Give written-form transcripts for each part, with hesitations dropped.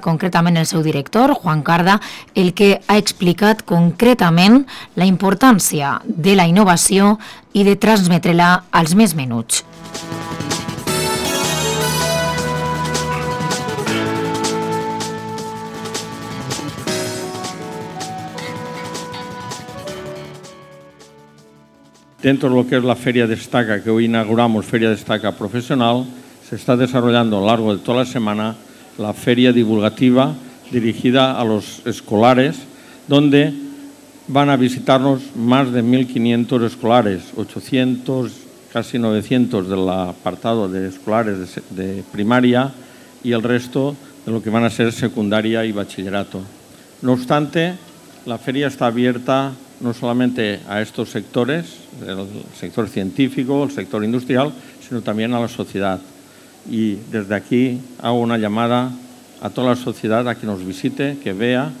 concretament el seu director, Juan Carda, el que ha explicat concretament la importància de la innovació i de transmetre-la als més menuts. Dentro de lo que es la Feria Destaca, que hoy inauguramos, Feria Destaca Profesional, se está desarrollando a lo largo de toda la semana la feria divulgativa dirigida a los escolares, donde van a visitarnos más de 1.500 escolares, 800, casi 900 del apartado de escolares de primaria y el resto de lo que van a ser secundaria y bachillerato. No obstante, la feria está abierta no solamente a estos sectores, el sector científico, el sector industrial, sino también a la sociedad. Y desde aquí hago una llamada a toda la sociedad a que nos visite, que vea,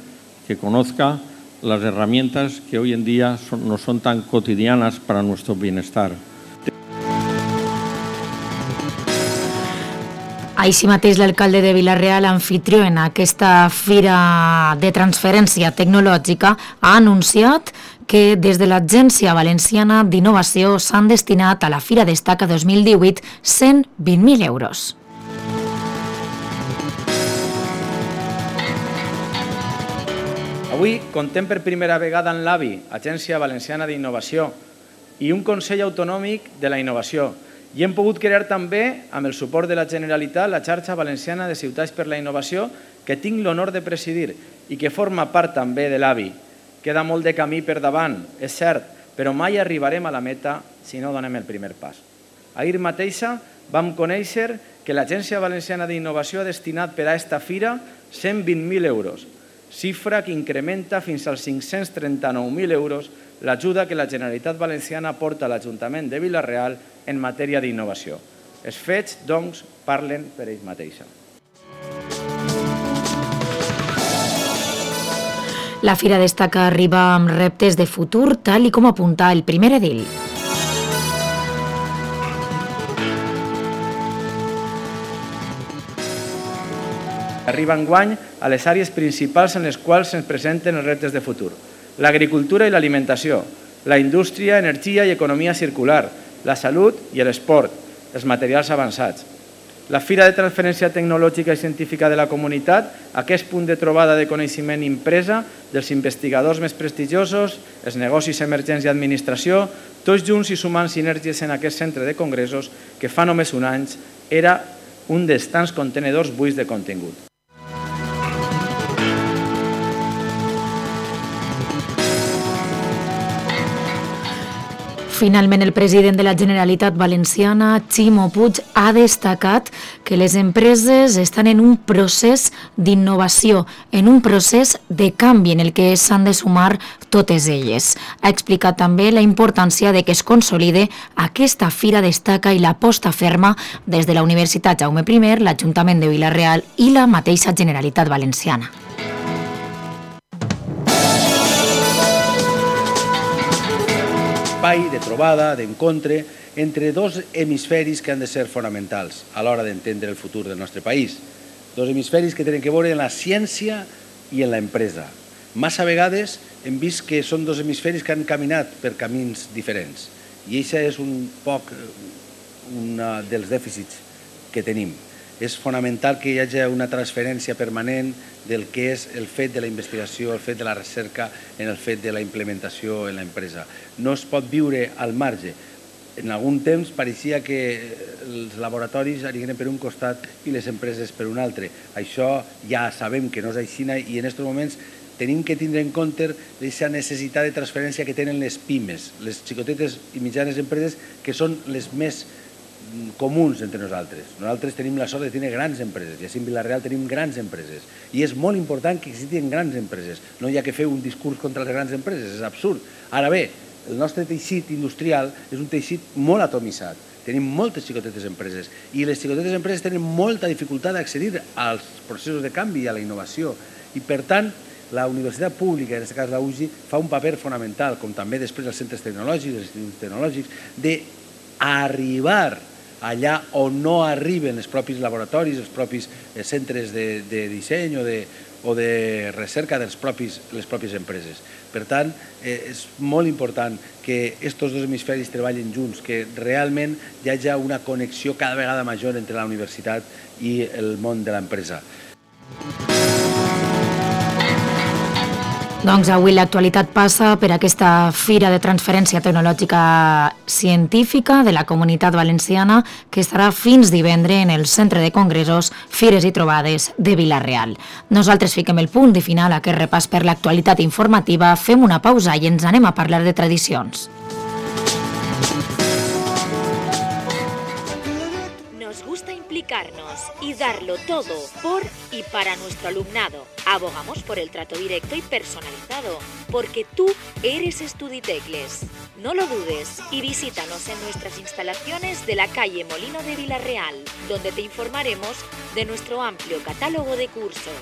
que conozca las herramientas que hoy en día no son tan cotidianas para nuestro bienestar. Així mateix, l'alcalde de Vila-real, anfitrió en aquesta fira de transferència tecnològica, ha anunciat que des de l'Agència Valenciana d'Innovació s'han destinat a la Fira Destaca 2018 120.000 euros. Avui contem per primera vegada en l'AVI, Agència Valenciana d'Innovació, i un Consell Autonòmic de la Innovació. I hem pogut crear també, amb el suport de la Generalitat, la xarxa valenciana de ciutats per la innovació, que tinc l'honor de presidir i que forma part també de l'AVI. Queda molt de camí per davant, és cert, però mai arribarem a la meta si no donem el primer pas. Ahir mateixa vam conèixer que l'Agència Valenciana d'Innovació ha destinat per a aquesta fira 120.000 euros, xifra que incrementa fins als 539.000 euros l'ajuda que la Generalitat Valenciana aporta a l'Ajuntament de Vila-real en matèria d'innovació. Els fets, doncs, parlen per ells mateixa. La Fira Destaca arriba amb reptes de futur, tal i com apunta el primer edil. Arriba enguany a les àrees principals en les quals se'ns presenten els reptes de futur. L'agricultura i l'alimentació, la indústria, energia i economia circular, la salut i l'esport, els materials avançats. La Fira de Transferència Tecnològica i Científica de la Comunitat, aquest punt de trobada de coneixement impresa dels investigadors més prestigiosos, els negocis emergents i administració, tots junts i sumant sinergies en aquest centre de congressos que fa només un any era un dels tants contenedors buits de contingut. Finalment, el president de la Generalitat Valenciana, Ximo Puig, ha destacat que les empreses estan en un procés d'innovació, en un procés de canvi en el que s'han de sumar totes elles. Ha explicat també la importància de que es consolide aquesta Fira Destaca i l'aposta ferma des de la Universitat Jaume I, l'Ajuntament de Vila-real i la mateixa Generalitat Valenciana. Espai de trobada, d'encontre, entre dos hemisferis que han de ser fonamentals a l'hora d'entendre el futur del nostre país. Dos hemisferis que tenen que veure en la ciència i en l'empresa. Massa vegades hem vist que són dos hemisferis que han caminat per camins diferents i això és un poc un dels dèficits que tenim. És fonamental que hi hagi una transferència permanent del que és el fet de la investigació, el fet de la recerca, en el fet de la implementació en l'empresa. No es pot viure al marge. En algun temps pareixia que els laboratoris anirien per un costat i les empreses per un altre. Això ja sabem que no és així i en aquests moments tenim que tindre en compte aquesta necessitat de transferència que tenen les pimes, les xicotetes i mitjanes empreses que són les més comuns entre nosaltres. Nosaltres tenim la sort de tenir grans empreses i així en Vila-real tenim grans empreses i és molt important que existin grans empreses. No hi ha que fer un discurs contra les grans empreses, és absurd. Ara bé, el nostre teixit industrial és un teixit molt atomitzat. Tenim moltes xicotetes empreses i les xicotetes empreses tenen molta dificultat d'accedir als processos de canvi i a la innovació i per tant la universitat pública, en aquest cas la UGI, fa un paper fonamental, com també després els centres tecnològics, els instituts tecnològics, d'arribar allà on no arriben els propis laboratoris, els propis centres de disseny o de recerca de les pròpies empreses. Per tant, és molt important que aquests dos hemisferis treballin junts, que realment hi hagi una connexió cada vegada major entre la universitat i el món de l'empresa. Doncs avui l'actualitat passa per aquesta Fira de Transferència Tecnològica Científica de la Comunitat Valenciana que estarà fins divendres en el Centre de Congressos, Fires i Trobades de Vila-real. Nosaltres fiquem el punt de final a aquest repàs per l'actualitat informativa, fem una pausa i ens anem a parlar de tradicions. Nos gusta implicarnos y darlo todo por y para nuestro alumnado. Abogamos por el trato directo y personalizado, porque tú eres Estuditecles. No lo dudes y visítanos en nuestras instalaciones de la calle Molino de Vila-real, donde te informaremos de nuestro amplio catálogo de cursos.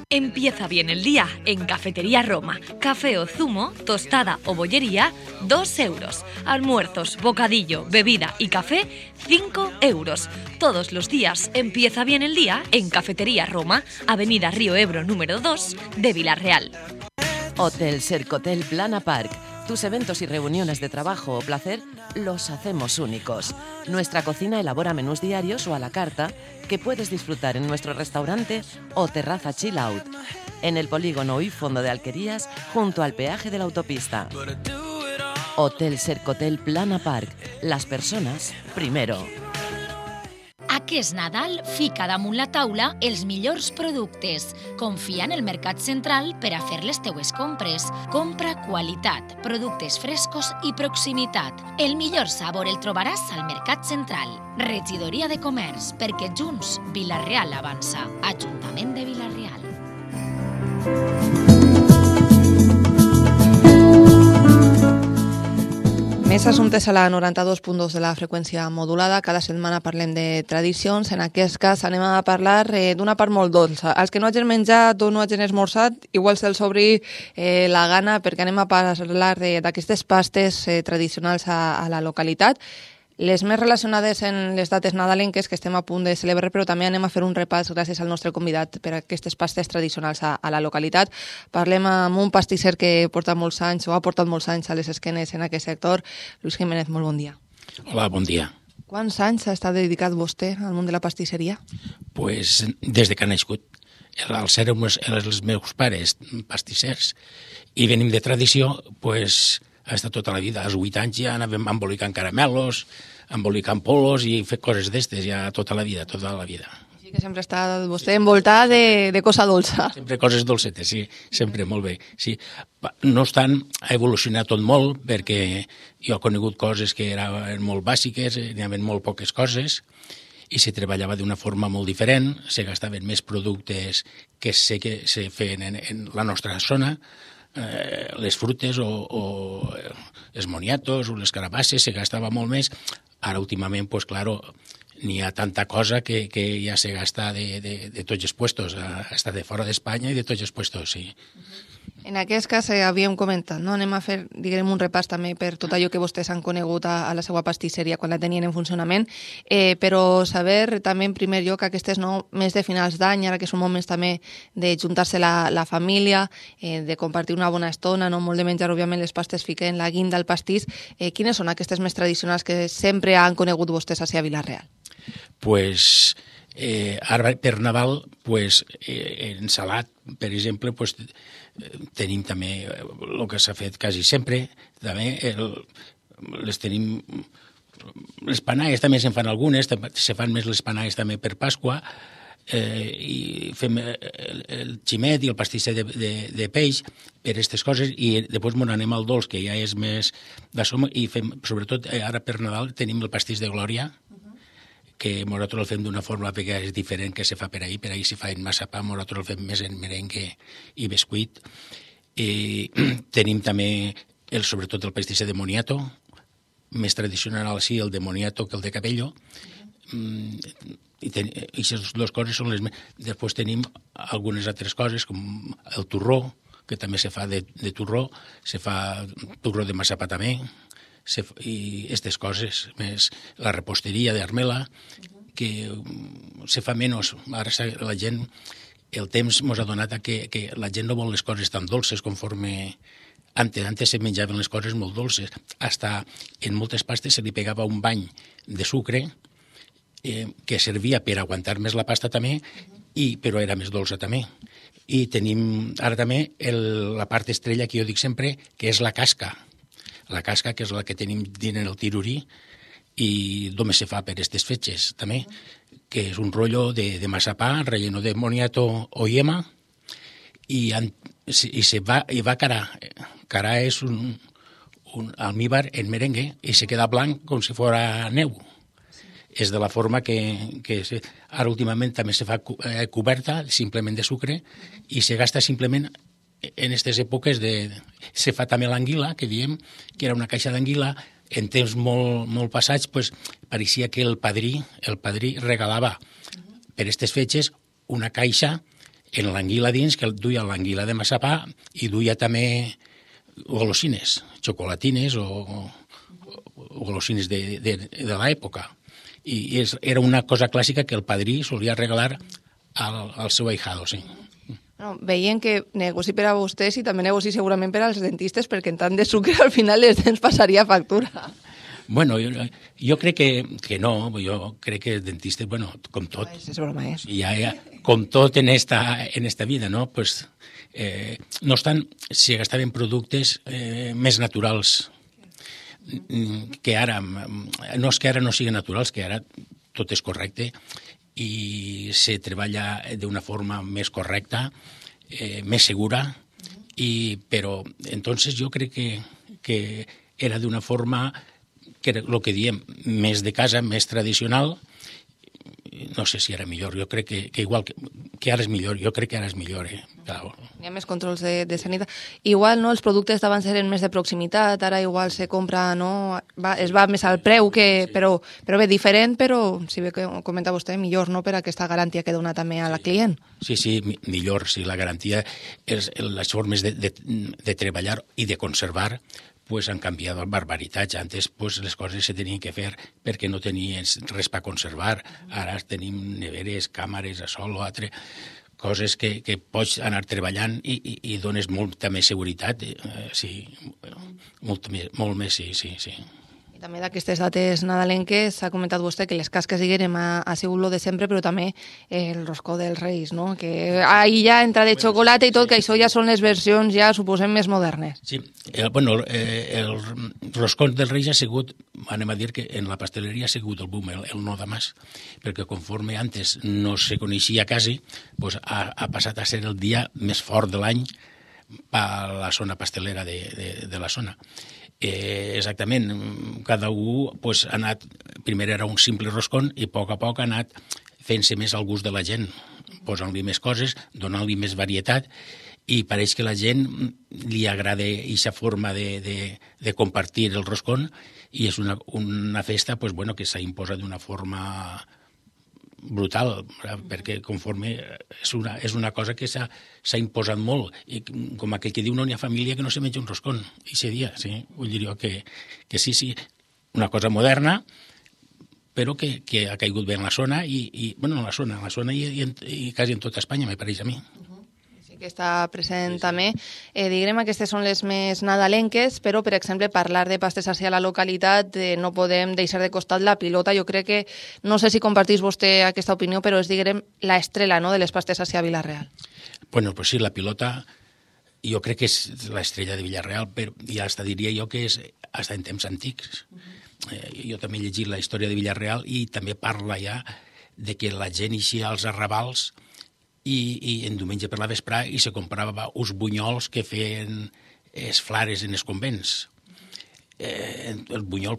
Empieza bien el día en Cafetería Roma. Café o zumo, tostada o bollería, 2 euros. Almuerzos, bocadillo, bebida y café, 5 euros. Todos los días empieza bien el día en Cafetería Roma, Avenida Río Ebro número 2 de Vila-real. Hotel Sercotel Plana Park. Tus eventos y reuniones de trabajo o placer los hacemos únicos. Nuestra cocina elabora menús diarios o a la carta que puedes disfrutar en nuestro restaurante o terraza chill out, en el polígono y fondo de Alquerías, junto al peaje de la autopista. Hotel Sercotel Plana Park. Las personas primero. Aquest Nadal fica damunt la taula els millors productes. Confia en el Mercat Central per a fer les teues compres. Compra qualitat, productes frescos i proximitat. El millor sabor el trobaràs al Mercat Central. Regidoria de Comerç, perquè junts Vila-real avança. Ajuntament de Vila-real. Més assumptes a la 92.2 de la freqüència modulada. Cada setmana parlem de tradicions. En aquest cas anem a parlar d'una part molt dolça. Els que no hagin menjat o no hagin esmorzat, igual se'ls obri la gana, perquè anem a parlar d'aquestes pastes tradicionals a la localitat. Les més relacionades en les dates nadalenques que estem a punt de celebrar, però també anem a fer un repàs gràcies al nostre convidat per a aquestes pastes tradicionals a la localitat. Parlem amb un pastisser que porta molts anys o ha portat molts anys a les esquenes en aquest sector. Lluís Jiménez, molt bon dia. Hola, bon dia. Quants anys ha estat dedicat vostè al món de la pastisseria? Pues des de que ha nascut. Els meus pares pastissers i venim de tradició, pues ha estat tota la vida. Als 8 anys ja anàvem embolicant caramelos, embolicant polos i fer coses d'estes ja tota la vida, tota la vida. Així que sempre està vostè envoltat de cosa dolça. Sempre coses dolcetes, sí, sempre, molt bé. Sí. No obstant, ha evolucionat tot molt, perquè jo he conegut coses que eren molt bàsiques, n'hi havia molt poques coses, i se treballava d'una forma molt diferent, se gastaven més productes que sé que se feien en la nostra zona, les frutes o els moniatos o les carabasses se gastava molt més. Ara últimament, pues claro, n'hi ha tanta cosa que ja se gasta de tots els puestos, hasta de fora d'Espanya i de tots els puestos, sí. En aquest cas havíem comentat, no? Anem a fer, diguem, un repàs també per tot allò que vostès han conegut a la seva pastisseria quan la tenien en funcionament, però saber també en primer lloc aquestes més de finals d'any, ara que són moments també de juntar-se la família, de compartir una bona estona, no molt de menjar, òbviament les pastes fiquen la guinda al pastís. Quines són aquestes més tradicionals que sempre han conegut vostès a Vila-real? Pues ara per Nadal, pues, en salat, per exemple, pues, tenim també el que s'ha fet quasi sempre, també les tenim, les panagues també se'n fan algunes, se fan més les panagues també per Pasqua, i fem el ximet i el pastisser de peix per aquestes coses, i després m'on anem al dolç, que ja és més d'assom, i fem, sobretot ara per Nadal tenim el pastís de Glòria, que nosaltres el fem d'una forma perquè és diferent que se fa per ahir se fa en massapà, nosaltres el fem més en merengue i bescuit. Tenim també, sobretot, el pastisser de moniato, més tradicional sí, el de moniato que el de Cabello, i aquestes dues coses són les més. Després tenim algunes altres coses, com el torró, que també se fa de torró, se fa torró de massapà també, i aquestes coses, més la reposteria d'Armela, que se fa menys. Ara la gent, el temps ens ha donat que la gent no vol les coses tan dolces conforme antes se menjaven les coses molt dolces. Hasta en moltes pastes se li pegava un bany de sucre que servia per aguantar més la pasta també, però era més dolça també. I tenim ara també la part estrella que jo dic sempre, que és la casca. La casca, que és la que tenim dins el tirurí, i només se fa per aquestes fetges també, que és un rotllo de massapà relleno de moniato o yema, i va carà. Carà és un almíbar en merengue i se queda blanc com si fos neu. És de la forma que ara últimament també se fa coberta simplement de sucre i se gasta simplement en aquestes èpoques se fa també l'anguila, que diem que era una caixa d'anguila. En temps molt passats pareixia que el padrí regalava per aquestes fetges una caixa en l'anguila dins, que duia l'anguila de massapà i duia també golosines, xocolatines o golosines de l'època. I era una cosa clàssica que el padrí solia regalar al seu ahijado, sí. No, veient que negoci per a vostès i també negoci segurament per als dentistes, perquè en tant de sucre al final les dents passaria factura. Bueno, jo crec que no, jo crec que els dentistes, bueno, com tot, és broma, ja, com tot en esta vida, no? Pues, no obstant, si gastaven productes més naturals, que ara, no és que ara no siguin naturals, que ara tot és correcte, i se treballa d'una forma més correcta, més segura, però entonces jo crec que era d'una forma que era el que diem, més de casa, més tradicional. No sé si era millor, jo crec que igual que ara és millor, jo crec que ara és millor. Hi ha més controls de sanitat. Igual, no, els productes d'abans eren més de proximitat, ara igual se compra, no, es va més al preu, però bé, diferent, però, si bé que comenta vostè, millor, no?, per aquesta garantia que dona també a la client. Sí, millor, sí, la garantia, les formes de treballar i de conservar han canviat barbaritats. Antes les coses se tenien que fer perquè no tenies res per conservar. Ara tenim neveres, càmeres, a sol o altre, coses que pots anar treballant i dones molta més seguretat. Sí, molt més, sí. I també d'aquestes dates nadalenques s'ha comentat vostè que les casques diguem ha sigut lo de sempre, però també el roscó dels Reis, no? Que ahí ja entra de xocolata i tot, que això ja són les versions, ja suposem, més modernes. Sí, el roscó dels Reis ha sigut, anem a dir que en la pasteleria ha sigut el boom, el no de mas, perquè conforme antes no se coneixia quasi, ha passat a ser el dia més fort de l'any per la zona pastelera de la zona. Exactament, cada un ha anat, primer era un simple roscón i a poc ha anat fent-se més al gust de la gent, posant-li més coses, donant-li més varietat, i pareix que la gent li agrada aquesta forma de compartir el roscón, i és una festa que s'ha imposat d'una forma brutal, perquè conforme és una cosa que s'ha imposat molt, i com aquell que diu no n'hi ha família que no se menja un roscón aquest dia, sí, vull dir jo que sí, una cosa moderna, però que ha caigut bé en la zona i quasi en tota Espanya, me pareix a mi. Que està present també. Diguem, aquestes són les més nadalenques, però, per exemple, parlar de pastes així a la localitat, no podem deixar de costat la pilota. Jo crec que, no sé si compartís vostè aquesta opinió, però és, diguem, la estrella, no?, de les pastes així a Vila-real. Bueno, pues sí, la pilota jo crec que és l'estrella de Vila-real, però ja diria jo que és fins en temps antics. Jo també he llegit la història de Vila-real i també parla ja de que la gent eixia als arrabals i en diumenge per la vesprà i se comprava uns bunyols que feien els flares en els convents. El bunyol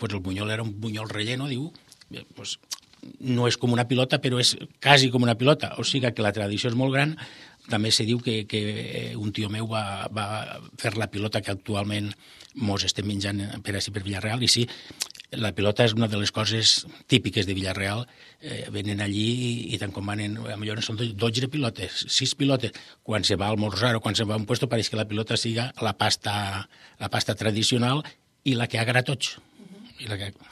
era un bunyol relleno, diu, no és com una pilota, però és quasi com una pilota, o sigui que la tradició és molt gran. També se diu que un tio meu va fer la pilota que actualment mos estem menjant per Vila-real, i sí, la pilota és una de les coses típiques de Vila-real. Venen allí i tant com van, potser són 12 pilotes, 6 pilotes. Quan se va a almorzar o quan se va a un puesto pareix que la pilota siga la pasta tradicional i la que agrada a tots.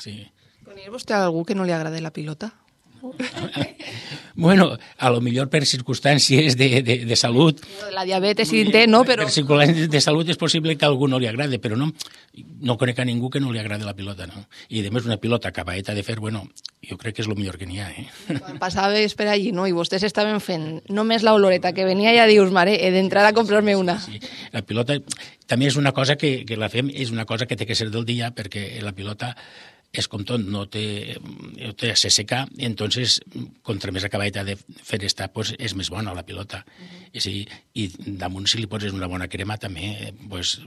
Sí. Coneix vostè algú que no li agrada la pilota? Bueno, a lo millor per circumstàncies de salut... La diabetes sí té, no? Però... Per circumstàncies de salut és possible que a algú no li agrade, però no conec a ningú que no li agrade la pilota, no? I, a més, una pilota acabadeta de fer, bueno, jo crec que és el millor que n'hi ha, Quan passaves per allí, no?, i vostès estaven fent només l'oloreta que venia, ja dius, mare, he d'entrar a comprar-me una. Sí. La pilota també és una cosa que la fem, és una cosa que té que ser del dia, perquè la pilota és com tot, no té se seca, entonces, contra més acabadeta de fer estar, pues, és més bona la pilota. I damunt, si li poses una bona crema, també, pues,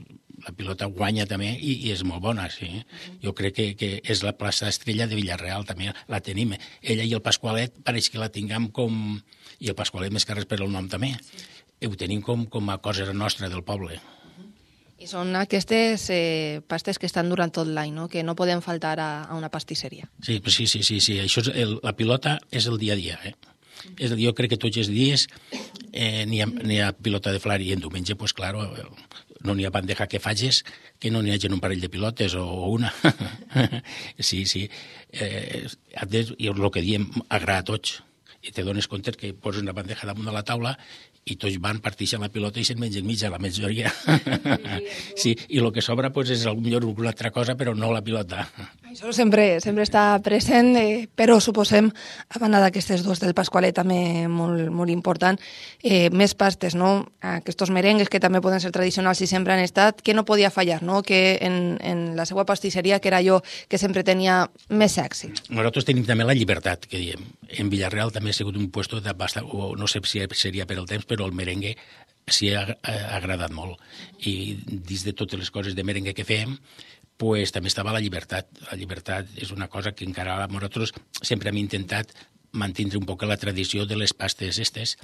la pilota guanya també i és molt bona, sí. Jo crec que és la plaça estrella de Villarreal, també la tenim. Ella i el Pasqualet pareix que la tinguem com... I el Pasqualet més que res per el nom també. Ho tenim com a cosa nostra del poble. I són aquestes pastes que estan durant tot l'any, no?, que no poden faltar a una pastisseria. Sí. Això la pilota és el dia a dia, Jo crec que tots els dies n'hi ha pilota de flar i en diumenge, pues, claro, no n'hi ha bandeja que facis que no n'hi hagi un parell de pilotes o una. Sí. I el que diem agrada a tots. I te dones compte que poses una bandeja damunt de la taula i tots van, parteixen la pilota i se'n mengen mitja, la majoria. Sí, i el que sobra pues, és potser alguna altra cosa, però no la pilota. Això sempre està present, però suposem, a banda d'aquestes dues del Pasqualet, també molt important, més pastes, no? Aquests merengues que també poden ser tradicionals i sempre han estat, que no podia fallar, no? Que en la seva pastisseria, que era allò que sempre tenia més èxit. Nosaltres tenim també la llibertat, que diem. En Villarreal també ha sigut un puesto de bastant, o no sé si seria per el temps, però el merengue s'hi ha agradat molt. I dins de totes les coses de merengue que fem, pues, també estava la llibertat. La llibertat és una cosa que encara nosaltres sempre hem intentat mantenir un poc la tradició de les pastes estes,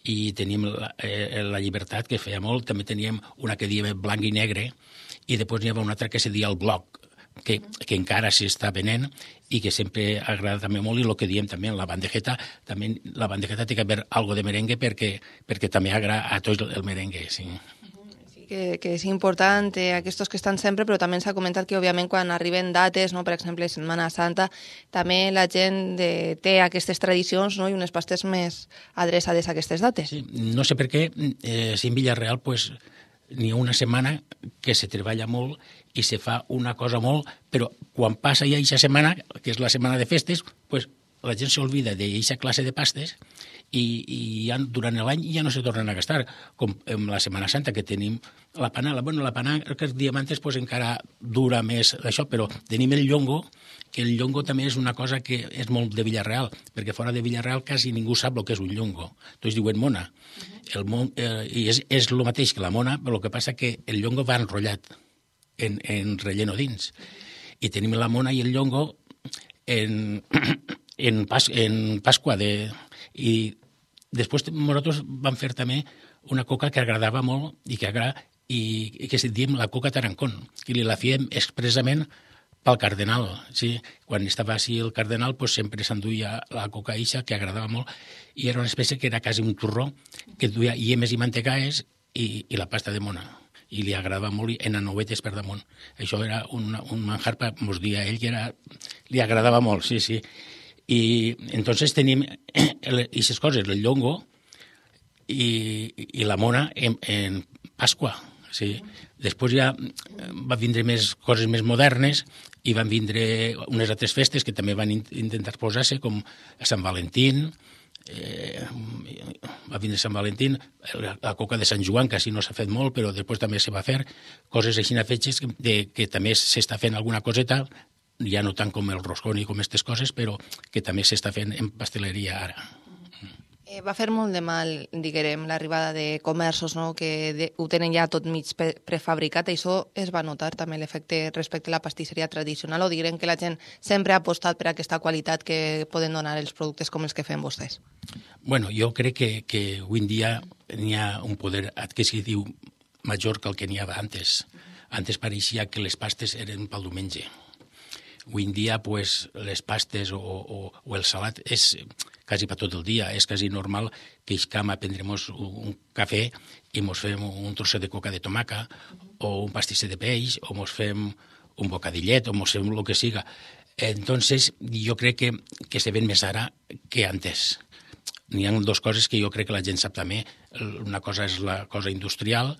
i tenim la llibertat, que feia molt. També teníem una que diem blanc i negre, i després n'hi havia una altra que se deia el bloc, que encara s'està venent i que sempre agrada també molt, i el que diem també en la bandejeta, també la bandejeta té que haver algo de merengue perquè també agrada a tots el merengue, sí. Que és important, aquests que estan sempre, però també s'ha comentat que, òbviament, quan arriben dates, no, per exemple, Setmana Santa, també la gent té aquestes tradicions, no, i unes pastes més adreçades a aquestes dates. Sí, no sé per què, si en Villarreal, pues, n'hi ha una setmana que se treballa molt i se fa una cosa molt, però quan passa ja aquesta setmana, que és la setmana de festes, pues, la gent s'olvida d'aquesta classe de pastes i ja, durant l'any ja no se tornen a gastar, com en la Setmana Santa, que tenim la panada. Bueno, la panada, que els diamantes pues, encara dura més això, però tenim el llongo, que el llongo també és una cosa que és molt de Villarreal, perquè fora de Villarreal quasi ningú sap el que és un llongo. Tots diuen mona. I és el mateix que la mona, però el que passa que el llongo va enrotllat en relleno dins. I tenim la mona i el llongo en Pasqua. I després nosaltres vam fer també una coca que agradava molt i que se diem la coca Tarancón, que la fèiem expressament pel cardenal. Sí? Quan estava així el cardenal, pues, sempre s'enduia la coca eixa, que agradava molt, i era una espècie que era quasi un turró, que duia llemes i mantecaes i la pasta de mona. I li agradava molt en anovetes per damunt. Això era un manjar, mos dia ell, que li agradava molt, sí. I entonces tenim aquestes coses, el llongo i la mona en Pasqua. Sí. Després ja va vindre més coses més modernes i van vindre unes altres festes que també van intentar posar-se, com Sant Valentín, va vindre Sant Valentín, la coca de Sant Joan, que així no s'ha fet molt, però després també se va fer coses així fetges que també s'està fent alguna coseta, ja no tant com el roscón i com aquestes coses, però que també s'està fent en pasteleria ara. Va fer molt de mal, diguem, l'arribada de comerços, no?, que ho tenen ja tot mig prefabricat, i això es va notar també l'efecte respecte a la pastisseria tradicional, o diguem que la gent sempre ha apostat per aquesta qualitat que poden donar els productes com els que fem vostès? Bueno, jo crec que avui en dia n'hi ha un poder adquisitiu major que el que n'hi havia antes. Antes pareixia que les pastes eren pel diumenge. Avui en dia, pues, les pastes o el salat és quasi per tot el dia. És quasi normal que iscam a prendremos un cafè i mos fem un trosset de coca de tomaca o un pastisser de peix o mos fem un bocadillet o mos fem el que siga. Entonces, jo crec que se ven més ara que antes. N'hi ha dues coses que jo crec que la gent sap també. Una cosa és la cosa industrial,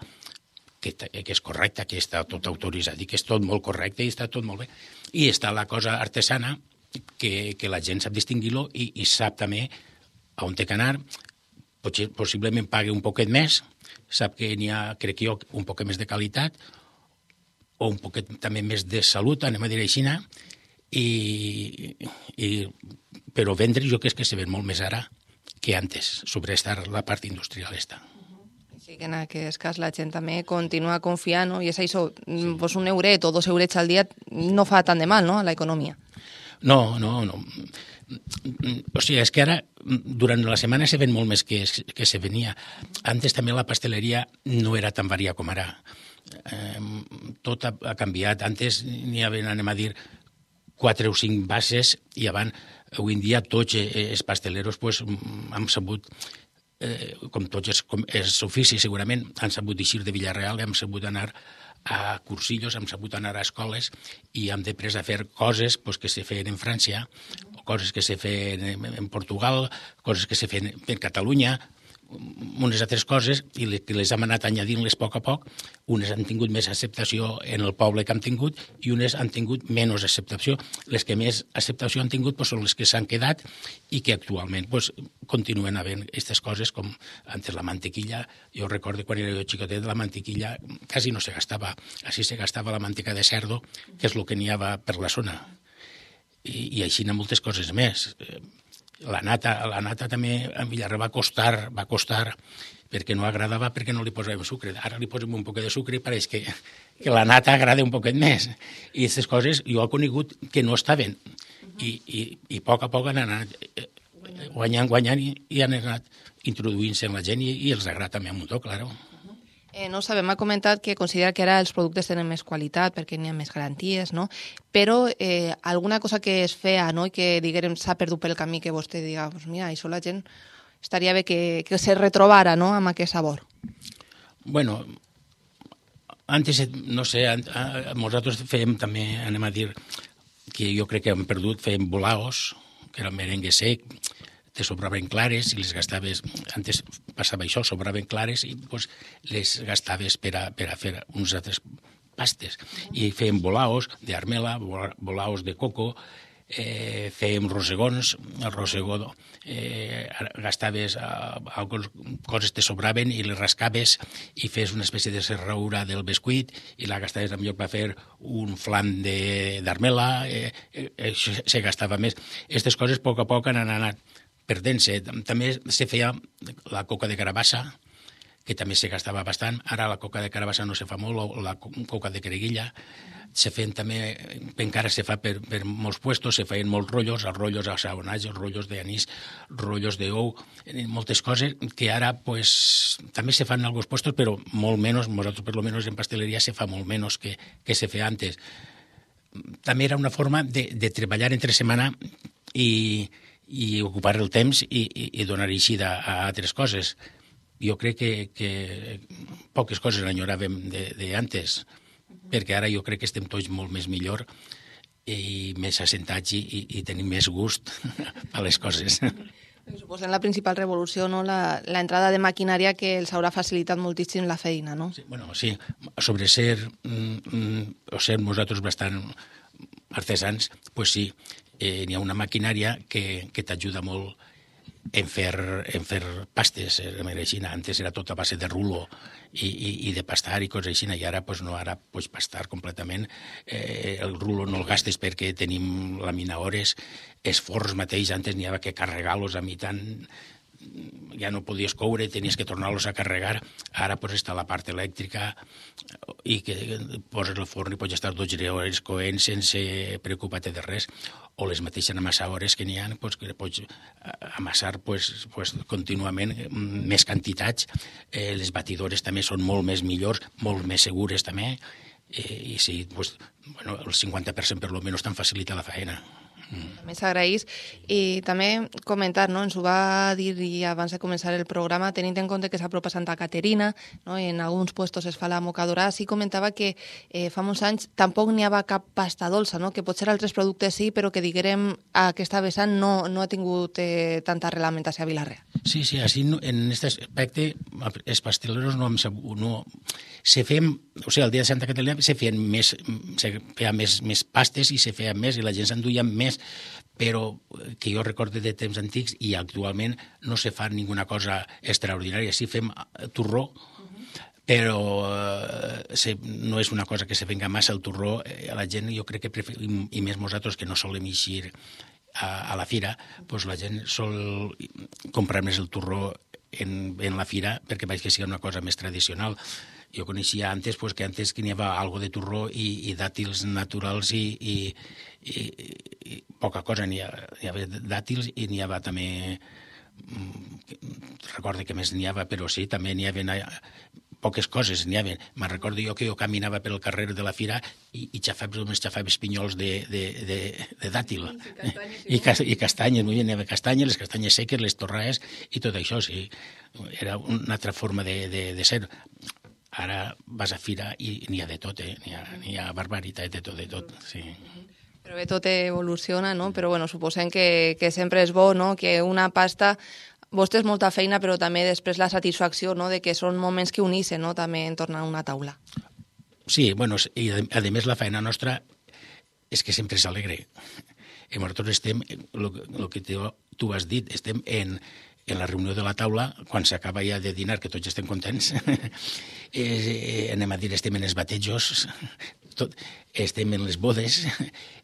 que és correcta, que està tot autoritzat i que és tot molt correcte i està tot molt bé. I està la cosa artesana, que la gent sap distingir-lo i sap també on té que anar. Possiblement pague un poquet més, sap que n'hi ha, crec jo, un poquet més de qualitat o un poquet també més de salut, anem a dir així, però vendre jo crec que se ven molt més ara que antes, sobre la part industrial esta. Sí, que en aquest cas la gent també continua confiant, no? I és això, pues un euret o 2 eurets al dia no fa tant de mal, no?, a l'economia. No. O sigui, és que ara, durant la setmana se ven molt més que se venia. Antes també la pasteleria no era tan varia com ara. Tot ha canviat. Antes n'hi havia, anem a dir, 4 o 5 bases i abans, avui en dia, tots els pasteleros han sabut, com tots els oficis segurament, han sabut eixir de Villarreal, han sabut anar a cursillos, hem sabut anar a escoles i hem après a fer coses que se feien en França, coses que se feien en Portugal, coses que se feien en Catalunya, unes altres coses, i que les hem anat añadint-les a poc. Unes han tingut més acceptació en el poble que han tingut i unes han tingut menys acceptació. Les que més acceptació han tingut són les que s'han quedat i que actualment continuen havent aquestes coses, com antes la mantequilla. Jo recordo quan era jo xicotet, la mantequilla quasi no se gastava. Així se gastava la manteca de cerdo, que és el que n'hi havia per la zona. I així n'hi ha moltes coses més. La nata també a Villarreal va costar perquè no agradava, perquè no li posàvem sucre. Ara li posem un poquet de sucre i pareix que la nata agrada un poquet més. I aquestes coses jo he conegut que no estaven. I a poc han anat guanyant i han anat introduint-se en la gent i els agrada també un muntó, claro. No sabem, ha comentat que considera que ara els productes tenen més qualitat perquè n'hi ha més garanties, no? Però alguna cosa que es feia, no?, i que, diguem, s'ha perdut pel camí, que vostè diga, pues mira, això la gent estaria bé que se retrobara, no?, amb aquest sabor. Bueno, antes, no sé, nosaltres fèiem també, anem a dir, que jo crec que hem perdut, fèiem bolaos, que era merengue sec, te sobraven clares i les gastaves, antes passava això, sobraven clares i les gastaves per a fer uns altres pastes. I fèiem bolaos d'armela, bolaos de coco, fèiem rosegons, el rosegó gastaves coses te sobraven i les rascaves i fes una espècie de serraura del bescuit i la gastaves en lloc per fer un flan d'armela, se gastava més. Aquestes coses a poc han anat perdent-se. També se feia la coca de carabassa, que també se gastava bastant. Ara la coca de carabassa no se fa molt, o la coca de creguilla. Se feien també, encara se fa per molts puestos, se feien molts rotllos, els rotllos assaonats, els rotllos d'anís, rotllos d'ou, moltes coses que ara també se fan en alguns puestos, però molt menys, nosaltres per lo menos en pasteleria se fa molt menys que se feia antes. També era una forma de treballar entre setmana i ocupar el temps i donar eixida a altres coses. Jo crec que poques coses enyoràvem d'antes, perquè ara jo crec que estem tots molt més millor i més assentats i tenim més gust a les coses. Suposo en la principal revolució, no?, la entrada de maquinària que els haurà facilitat moltíssim la feina, no? Sí, bueno, sí, sobre ser nosaltres bastant artesans, pues sí, n'hi ha una maquinària que t'ajuda molt en fer pastes. Antes era tot a base de rulo i de pastar i coses així, i ara no, ara pastar completament. El rulo no el gastes perquè tenim laminadores, els forns mateix, antes n'hi havia que carregar-los a mitant, ja no podies coure, tenies que tornar-los a carregar. Ara està la part elèctrica i que poses el forn i pots estar 12 hores coent sense preocupar-te de res. O les mateixes amassadores que n'hi ha, que pots amassar contínuament més quantitats. Les batidores també són molt més millors, molt més segures també. I sí, el 50% per lo menys t'han facilitat la feina. També s'agraeix. I també comentar, no? Ens ho va dir abans de començar el programa, tenint en compte que s'apropa Santa Caterina, no? En alguns puestos es fa la mocadora, sí comentava que fa molts anys tampoc n'hi havia cap pasta dolça, no? Que potser altres productes sí, però que diguérem aquesta vessant no ha tingut tanta reglamentació a Vila-real. Sí, així en aquest aspecte els pasteleros no se feien, o sigui, el dia de Santa Caterina se feien més pastes i se feien més i la gent s'enduia més, però que jo recorde de temps antics i actualment no se fa ninguna cosa extraordinària. Sí fem torró, però no és una cosa que se venga massa el torró. A la gent jo crec que preferim, i més nosaltres que no solem eixir a la fira, doncs la gent sol comprar més el torró en la fira perquè veig que sigui una cosa més tradicional. Jo coneixia antes que n'hi havia algo de torró i dàtils naturals i poca cosa. N'hi havia dàtils i n'hi havia també... Recordo que més n'hi havia, però sí, també n'hi havia poques coses. Me'n recordo jo que jo caminava pel carrer de la fira i xafava pinyols de dàtil. I castanyes, n'hi havia castanyes, les castanyes seques, les torraes i tot això, sí. Era una altra forma de ser. Ara vas a fira i n'hi ha de tot, n'hi ha barbaritat de tot, sí. Però bé, tot evoluciona, no? Però bueno, suposem que sempre és bo, no? Que una pasta... Vostè és molta feina, però també després la satisfacció, no? De que són moments que uneixen, no? També en tornar a una taula. Sí, bueno, i a més la feina nostra és que sempre és alegre. I nosaltres estem, el que tu has dit, estem en la reunió de la taula, quan s'acaba ja de dinar, que tots estem contents, anem a dir, estem en els batejos, estem en les bodes,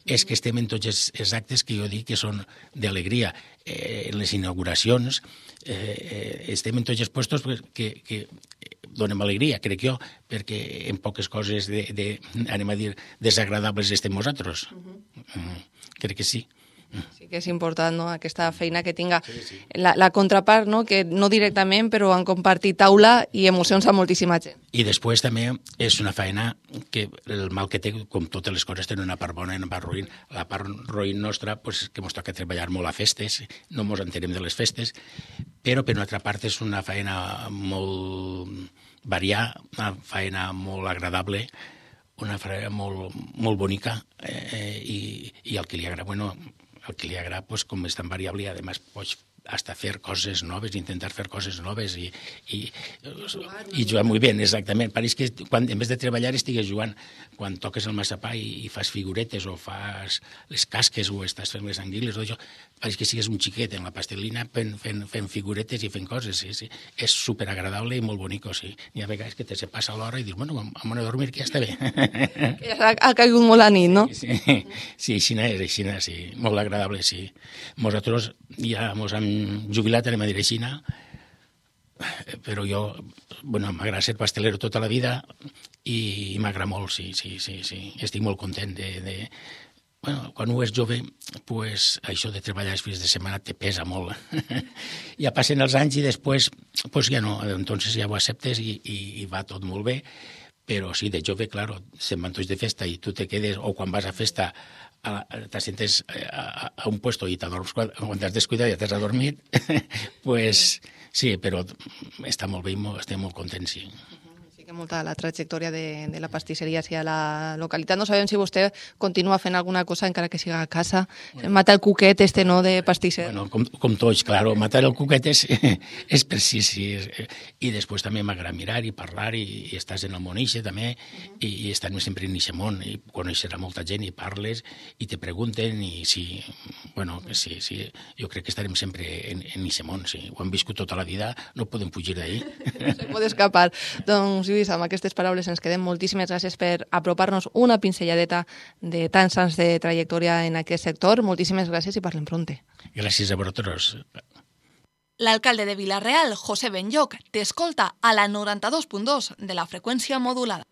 és que estem en tots els actes que jo dic que són d'alegria. En les inauguracions, estem en tots els puestos que donem alegria, crec jo, perquè en poques coses, anem a dir, desagradables estem nosaltres. Crec que sí. Sí que és important, no?, aquesta feina que tinga la contrapart, no?, que no directament, però han compartit taula i emocions a moltíssima gent. I després també és una feina que el mal que té, com totes les coses, tenen una part bona i una part roïn. La part roïn nostra, pues, que ens toca treballar molt a festes, no ens entenem de les festes, però per una altra part és una feina molt variada, una feina molt agradable, una feina molt bonica, i el que li agrada, bueno, el que li agrada, pues, com és tan variable, i además pots hasta fer coses noves, intentar fer coses noves i jugar molt bé, exactament. Pareix que quan, en vez de treballar estigues jugant. Quan toques el massapà i fas figuretes o fas les casques o estàs fent les anguiles, pareix que sigues un xiquet en la pastelina fent figuretes i fent coses. Sí. És superagradable i molt bonic, sí. Hi ha vegades que se passa l'hora i dius, bueno, vam a dormir, que ja està bé. Que ja ha caigut molt la nit, no? Sí, així, sí. Molt agradable, sí. Nosaltres ja ens hem jubilat, anem a dir així, però jo, bueno, m'agrada ser pastelero tota la vida i m'agrada molt, sí. Estic molt content de... Bueno, quan un és jove, pues, això de treballar els fins de setmana te pesa molt. Ja passen els anys i després, pues ja no, entonces ja ho acceptes i va tot molt bé, però sí, de jove, claro, se'n van tots de festa i tu te quedes, o quan vas a festa t'assentes a un puesto i t'adorms quan t'has descuidat i ja t'has adormit, pues sí, però està molt bé i estem molt contents, sí. Que molta la trajectòria de la pastisseria a la localitat. No sabem si vostè continua fent alguna cosa encara que siga a casa. Matar el cuquet no, de pastisser. Bueno, com tots, claro. Matar el cuquet és precís. I després també m'agrada mirar i parlar i estàs en el món ixe també i estem sempre en ixe món i coneixes a molta gent i parles i te pregunten i sí, bueno, sí, jo crec que estarem sempre en ixe món, sí. Ho hem viscut tota la vida, no podem fugir d'ahí. No se pot escapar. Doncs Lluís, amb aquestes paraules ens quedem. Moltíssimes gràcies per apropar-nos una pinzelladeta de tants anys de trajectòria en aquest sector. Moltíssimes gràcies i parlem pronte. Gràcies a vosaltres. L'alcalde de Vila-real, José Benlloch, t'escolta a la 92.2 de la freqüència modulada.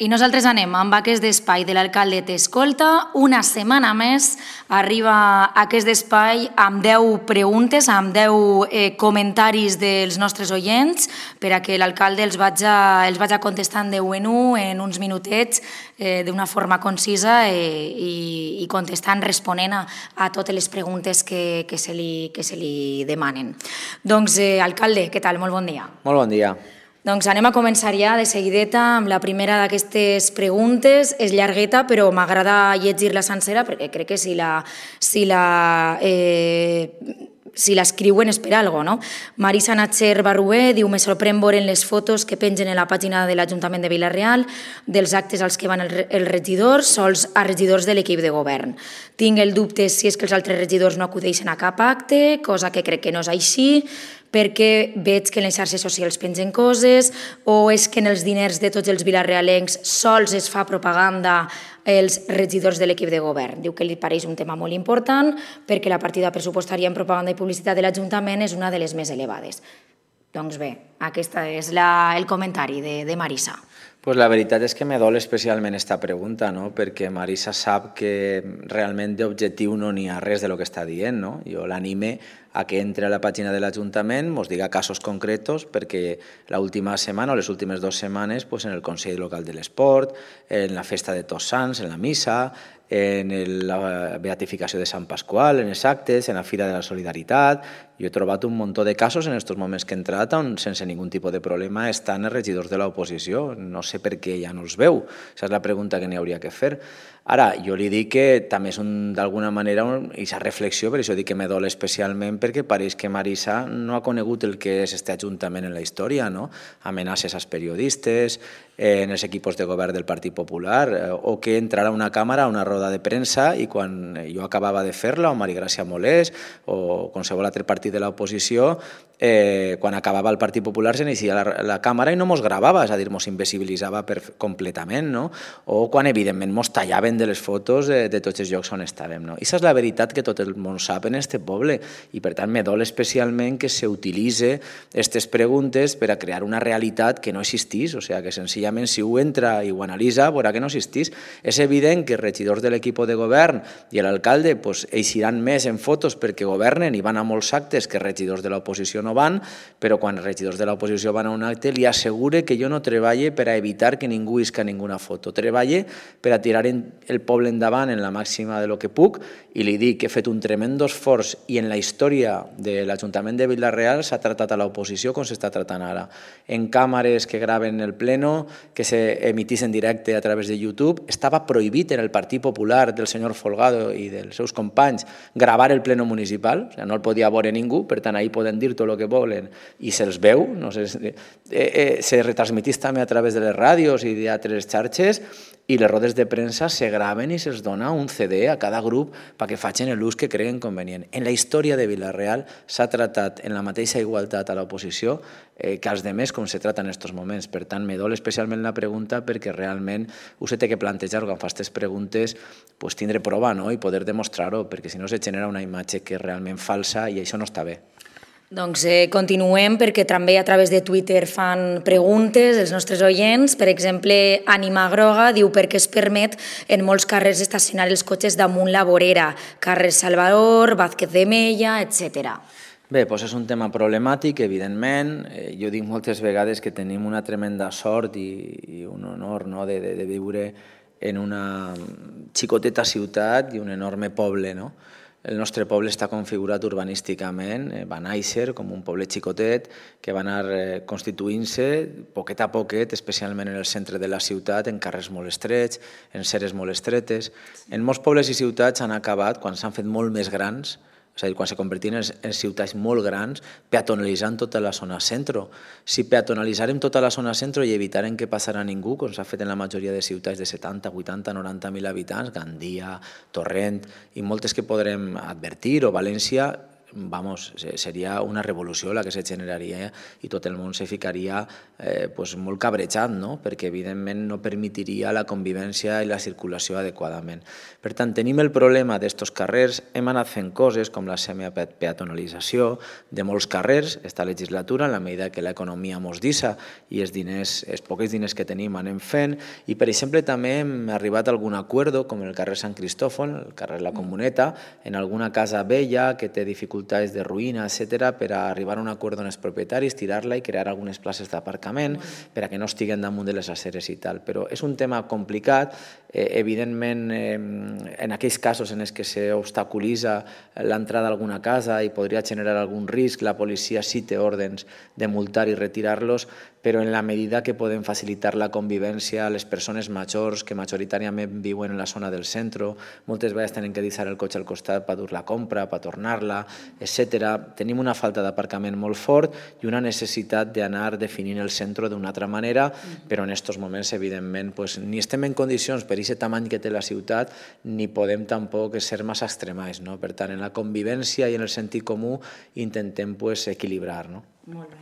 I nosaltres anem amb aquest espai de l'alcalde t'escolta. Una setmana més arriba aquest espai amb 10 preguntes, amb 10 comentaris dels nostres oients per a que l'alcalde els vaig contestant de 1 en 1 en uns minutets d'una forma concisa i contestant, responent a totes les preguntes que se li demanen. Doncs, alcalde, què tal? Molt bon dia. Molt bon dia. Doncs anem a començar ja de seguideta amb la primera d'aquestes preguntes. És llargueta, però m'agrada llegir-la sencera perquè crec que si l'escriuen és per alguna cosa, no? Marisa Natxer Barrué diu: me sorprèn veure les fotos que pengen a la pàgina de l'Ajuntament de Vila-real dels actes als que van els regidors, sols a regidors de l'equip de govern. Tinc el dubte si és que els altres regidors no acudeixen a cap acte, cosa que crec que no és així, perquè veig que en les xarxes socials pengen coses, o és que en els diners de tots els vilarealencs sols es fa propaganda els regidors de l'equip de govern. Diu que li pareix un tema molt important perquè la partida pressupostària en propaganda i publicitat de l'Ajuntament és una de les més elevades. Doncs bé, aquest és el comentari de Marisa. Pues la veritat és que me dol especialment esta pregunta, no? Perquè Marisa sap que realment d'objectiu no n'hi ha res de lo que està dient, no? Jo l'anime a que entre a la pàgina de l'Ajuntament, ens diga casos concretos, perquè l'última setmana o les últimes 2 setmanes en el Consell Local de l'Esport, en la festa de Tots Sants, en la missa, en la beatificació de Sant Pasqual, en els actes, en la Fira de la Solidaritat. Jo he trobat un munt de casos en aquests moments que he entrat on sense ningun tipus de problema estan els regidors de l'oposició. No sé per què ja no els veu. Aquesta és la pregunta que n'hi hauria que fer. Ara, jo li dic que també és d'alguna manera aquesta reflexió, per això dic que me dol especialment, perquè pareix que Marisa no ha conegut el que és este Ajuntament en la història, no? Amenaces als periodistes, en els equips de govern del Partit Popular, o que entrarà a una càmera, a una roda de premsa, i quan jo acabava de fer-la, o Maria Gràcia Molés, o qualsevol altre partit de l'oposició, quan acabava el Partit Popular s'inicia la càmera i no mos gravava, és a dir, mos invisibilitzava completament, no? O quan evidentment mos tallaven de les fotos de tots els llocs on estàvem, no? I això és la veritat que tot el món sap en este poble, i per tant me dol especialment que s'utilitze aquestes preguntes per a crear una realitat que no existís, o sigui, que senzillament si ho entra i ho analitza veurà que no existís. És evident que els regidors de l'equip de govern i l'alcalde eixiran més en fotos perquè governen i van a molts actes que regidors de l'oposició no van, però quan els regidors de l'oposició van a un acte li assegure que jo no treballe per a evitar que ningú isca ninguna foto, treballe per a tirar el poble endavant en la màxima de lo que puc, i li dic que he fet un tremendo esforç i en la història de l'Ajuntament de Vila-real s'ha tratat a l'oposició com s'està tratant ara, en càmeres que graven el pleno, que s'emitís en directe a través de YouTube. Estava prohibit en el Partit Popular del senyor Folgado i dels seus companys gravar el pleno municipal, o sigui, no el podia veure ningú, per tant ahí poden dir tot el que volen i se'ls veu, no sé, se retransmitís també a través de les ràdios i d'altres xarxes, i les rodes de premsa se graven i se'ls dona un CD a cada grup perquè facin l'ús que creguen convenient. En la història de Vila-real s'ha tratat en la mateixa igualtat a l'oposició que als demés com se trata en aquests moments. Per tant, me dol especialment la pregunta perquè realment us he de plantejar quan fa aquestes preguntes tindre prova i poder demostrar-ho, perquè si no se genera una imatge que és realment falsa i això no està bé. Doncs continuem, perquè també a través de Twitter fan preguntes els nostres oients. Per exemple, Ànima Groga diu per què es permet en molts carrers estacionar els cotxes damunt la vorera, carrer Salvador, Vázquez de Mella, etc. Bé, doncs és un tema problemàtic, evidentment. Jo dic moltes vegades que tenim una tremenda sort i un honor de viure en una xicoteta ciutat i un enorme poble, no? El nostre poble està configurat urbanísticament, va néixer com un poble xicotet que va anar constituint-se poquet a poquet, especialment en el centre de la ciutat, en carrers molt estrets, en ceres molt estretes. En molts pobles i ciutats han acabat, quan s'han fet molt més grans, és a dir, quan se convertien en ciutats molt grans, peatonalitzant tota la zona centro. Si peatonalitzarem tota la zona centro i evitarem que passarà ningú, com s'ha fet en la majoria de ciutats de 70, 80, 90.000 habitants, Gandia, Torrent i moltes que podrem advertir, o València, seria una revolució la que se generaria i tot el món se ficaria molt cabrejat, perquè evidentment no permetiria la convivència i la circulació adequadament. Per tant, tenim el problema d'estos carrers, hem anat fent coses com la semipeatonalització de molts carrers esta legislatura, en la medida que l'economia mos deixa i els pocs diners que tenim anem fent, i per exemple també hem arribat a algun acord com el carrer Sant Cristòfol, el carrer La Comuneta, en alguna casa vella que té dificultats de ruïna, etc., per a arribar a un acord amb els propietaris, tirar-la i crear algunes places d'aparcament per a que no estiguen damunt de les aceres i tal. Però és un tema complicat, evidentment en aquells casos en els que s'obstaculitza l'entrada a alguna casa i podria generar algun risc, la policia sí té ordres de multar i retirar-los, però en la medida que podem facilitar la convivència a les persones majors que majoritàriament viuen en la zona del centre, moltes vegades tenen que deixar el cotxe al costat per dur la compra, per tornar-la, etc. Tenim una falta d'aparcament molt fort i una necessitat d'anar definint el centre d'una altra manera, però en aquests moments, evidentment, ni estem en condicions per aquest tamany que té la ciutat, ni podem tampoc ser massa extremats. Per tant, en la convivència i en el sentit comú intentem equilibrar. Molt bé.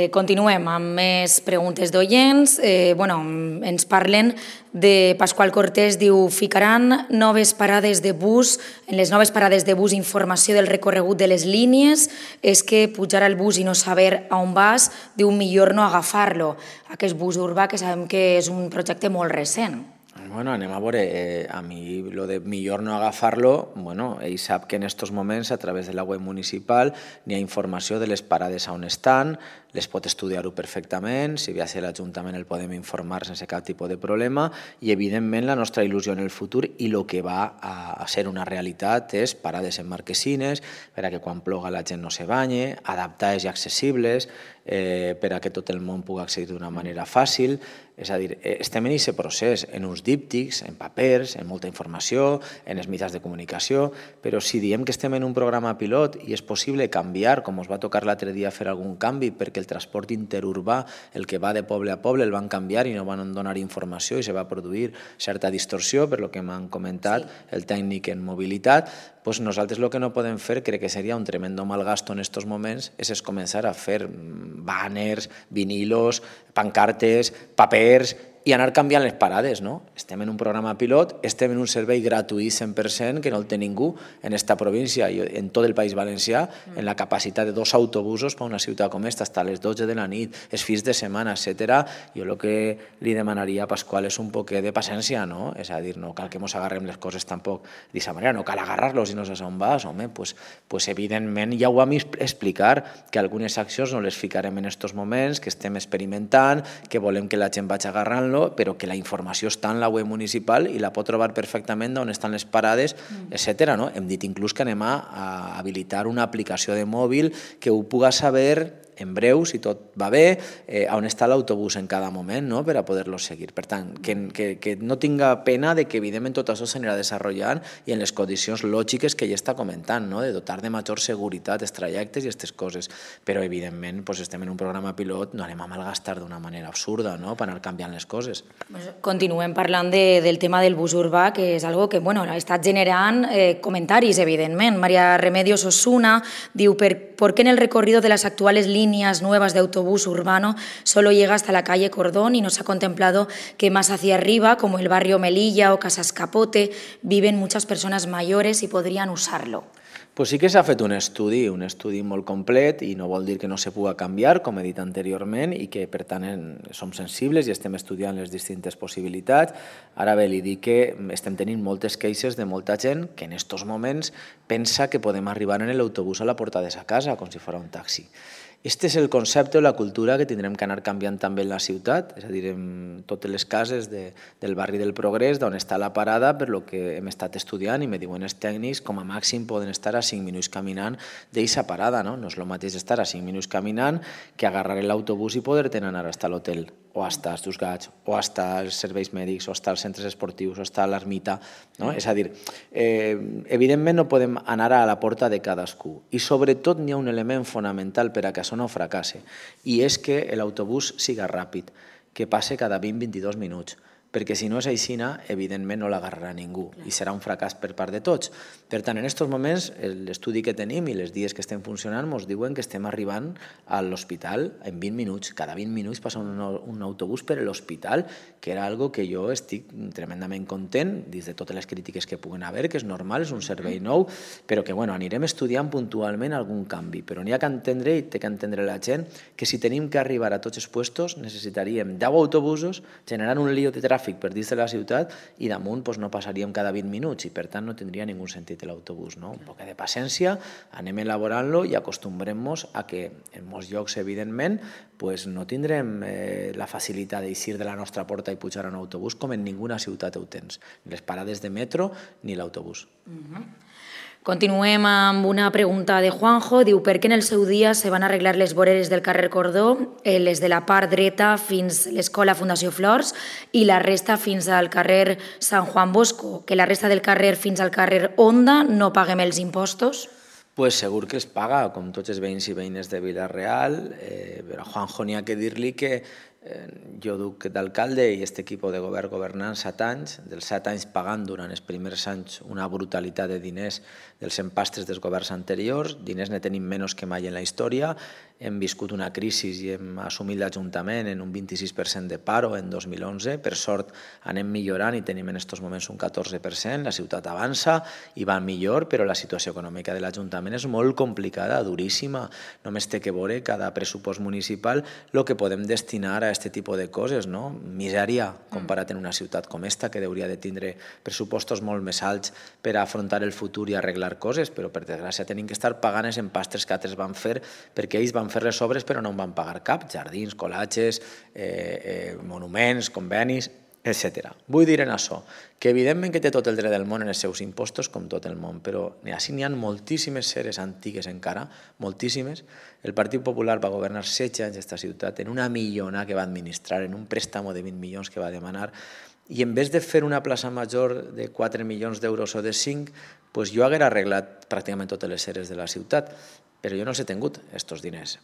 Continuem amb més preguntes d'oients. Ens parlen de Pasqual Cortés, diu: ficaran noves parades de bus, en les noves parades de bus informació del recorregut de les línies, és que pujar al bus i no saber on vas, diu millor no agafar-lo. Aquest bus urbà que sabem que és un projecte molt recent. Anem a veure, a mi lo de millor no agafar-lo, ell sap que en aquests moments a través de la web municipal n'hi ha informació de les parades on estan, les pot estudiar-ho perfectament, si ve a ser l'Ajuntament el podem informar sense cap tipus de problema i evidentment la nostra il·lusió en el futur i el que va a ser una realitat és parades en marquesines per a que quan ploga la gent no se banye, adaptades i accessibles per a que tot el món pugui accedir d'una manera fàcil. És a dir, estem en aquest procés, en uns díptics, en papers, en molta informació, en els mitjans de comunicació, però si diem que estem en un programa pilot i és possible canviar, com us va tocar l'altre dia fer algun canvi perquè el transport interurbà, el que va de poble a poble, el van canviar i no van donar informació i se va produir certa distorsió, per lo que m'han comentat el tècnic en mobilitat, doncs nosaltres el que no podem fer, crec que seria un tremendo malgasto en aquests moments, és començar a fer banners, vinilos, pancartes, papers i anar canviant les parades. Estem en un programa pilot, estem en un servei gratuït 100%, que no el té ningú en esta província i en tot el País Valencià, en la capacitat de 2 autobusos per a una ciutat com esta, hasta les 12 de la nit, els fins de setmana, etc. Jo el que li demanaria a Pasqual és un poquet de paciència, és a dir, no cal que ens agarrem les coses tampoc d'aquesta manera, no cal agarrar-los i no saps on vas, doncs evidentment ja ho vam explicar, que algunes accions no les ficarem en aquests moments, que estem experimentant, que volem que la gent vagi agarrant-lo, però que la informació està en la web municipal i la pot trobar perfectament d'on estan les parades, etc. Hem dit inclús que anem a habilitar una aplicació de mòbil que ho puga saber en breu, si tot va bé, on està l'autobús en cada moment per a poder-lo seguir. Per tant, que no tinga pena de que evidentment tot això s'anirà desenvolupant i en les condicions lògiques que ella està comentant, de dotar de major seguretat els trajectes i aquestes coses. Però evidentment estem en un programa pilot, no anem a malgastar d'una manera absurda per anar canviant les coses. Continuem parlant del tema del bus urbà, que és algo que ha estat generant comentaris, evidentment. María Remedios Osuna diu: ¿por qué en el recorrido de las actuales líneas nuevas de autobús urbano solo llega hasta la calle Cordón y no se ha contemplado que más hacia arriba, como el barrio Melilla o Casas Capote, viven muchas personas mayores y podrían usarlo? Pues sí que s'ha fet un estudi molt complet i no vol dir que no se pugui canviar, com he dit anteriorment, i que per tant som sensibles i estem estudiant les distintes possibilitats. Ara bé, li dic que estem tenint moltes queixes de molta gent que en aquests moments pensa que podem arribar en l'autobús a la porta de sa casa, com si fos un taxi. Este és el concepte o la cultura que tindrem que anar canviant també en la ciutat, és a dir, en totes les cases del barri del Progrés, d'on està la parada, per lo que hem estat estudiant i me diuen els tècnics, com a màxim poden estar a 5 minuts caminant d'aquesta parada. No és el mateix estar a 5 minuts caminant que agarrar l'autobús i poder-te anar fins a l'hotel, o fins als Dos Gats, o fins als serveis mèdics, o fins als centres esportius, o fins a l'ermita. És a dir, evidentment no podem anar a la porta de cadascú. I sobretot n'hi ha un element fonamental per a que això no fracasse, i és que l'autobús siga ràpid, que passe cada 20-22 minuts, perquè si no és aixina, evidentment no l'agarrarà ningú i serà un fracàs per part de tots. Per tant, en aquests moments, l'estudi que tenim i les dies que estem funcionant ens diuen que estem arribant a l'hospital en 20 minuts. Cada 20 minuts passa un autobús per l'hospital, que era algo que jo estic tremendament content, dins de totes les crítiques que puguen haver, que és normal, és un servei nou, però que anirem estudiant puntualment algun canvi. Però n'hi ha que entendre, i té que entendre la gent, que si tenim que arribar a tots els puestos necessitaríem 10 autobusos generant un lío de tràfic per dins de la ciutat i damunt no passaríem cada 20 minuts i per tant no tindria ningú sentit l'autobús. Un poc de paciència, anem elaborant-lo i acostumbrem-nos a que en molts llocs, evidentment, no tindrem la facilitat d'eixir de la nostra porta i pujar a un autobús com en ninguna ciutat ho tens, ni les parades de metro ni l'autobús. Continuem amb una pregunta de Juanjo. Diu, per què en el seu dia se van arreglar les voreres del carrer Cordó, les de la part dreta fins a l'Escola Fundació Flors i la resta fins al carrer Sant Juan Bosco, que la resta del carrer fins al carrer Onda no paguem els impostos? Pues segur que els paga, com tots els veïns i veïnes de Vila-real, però a Juanjo n'hi ha que dir-li que jo duc d'alcalde i aquest equip de govern governant 7 anys, dels 7 anys pagant durant els primers anys una brutalitat de diners dels empastres dels governs anteriors, diners ne tenim menys que mai en la història, hem viscut una crisi i hem assumit l'Ajuntament en un 26% de paro en 2011, per sort anem millorant i tenim en aquests moments un 14%, la ciutat avança i va millor, però la situació econòmica de l'Ajuntament és molt complicada, duríssima, només té que veure cada pressupost municipal el que podem destinar a aquest tipus de coses, no? Misèria comparat en una ciutat com esta, que hauria de tindre pressupostos molt més alts per afrontar el futur i arreglar coses, però per desgràcia tenim que estar pagant els empastres que altres van fer, perquè ells van fer les obres però no en van pagar cap, jardins, colatges, monuments, convenis, etc. Vull dir en això, que evidentment que té tot el dret del món en els seus impostos, com tot el món, però així n'hi ha moltíssimes seres antigues encara, moltíssimes. El Partit Popular va governar 16 anys aquesta ciutat en una millona que va administrar, en un préstamo de 20 milions que va demanar, i en vez de fer una plaça major de 4 milions d'euros o de 5, jo haguera arreglat pràcticament totes les seres de la ciutat, però jo no els he tingut, aquests diners.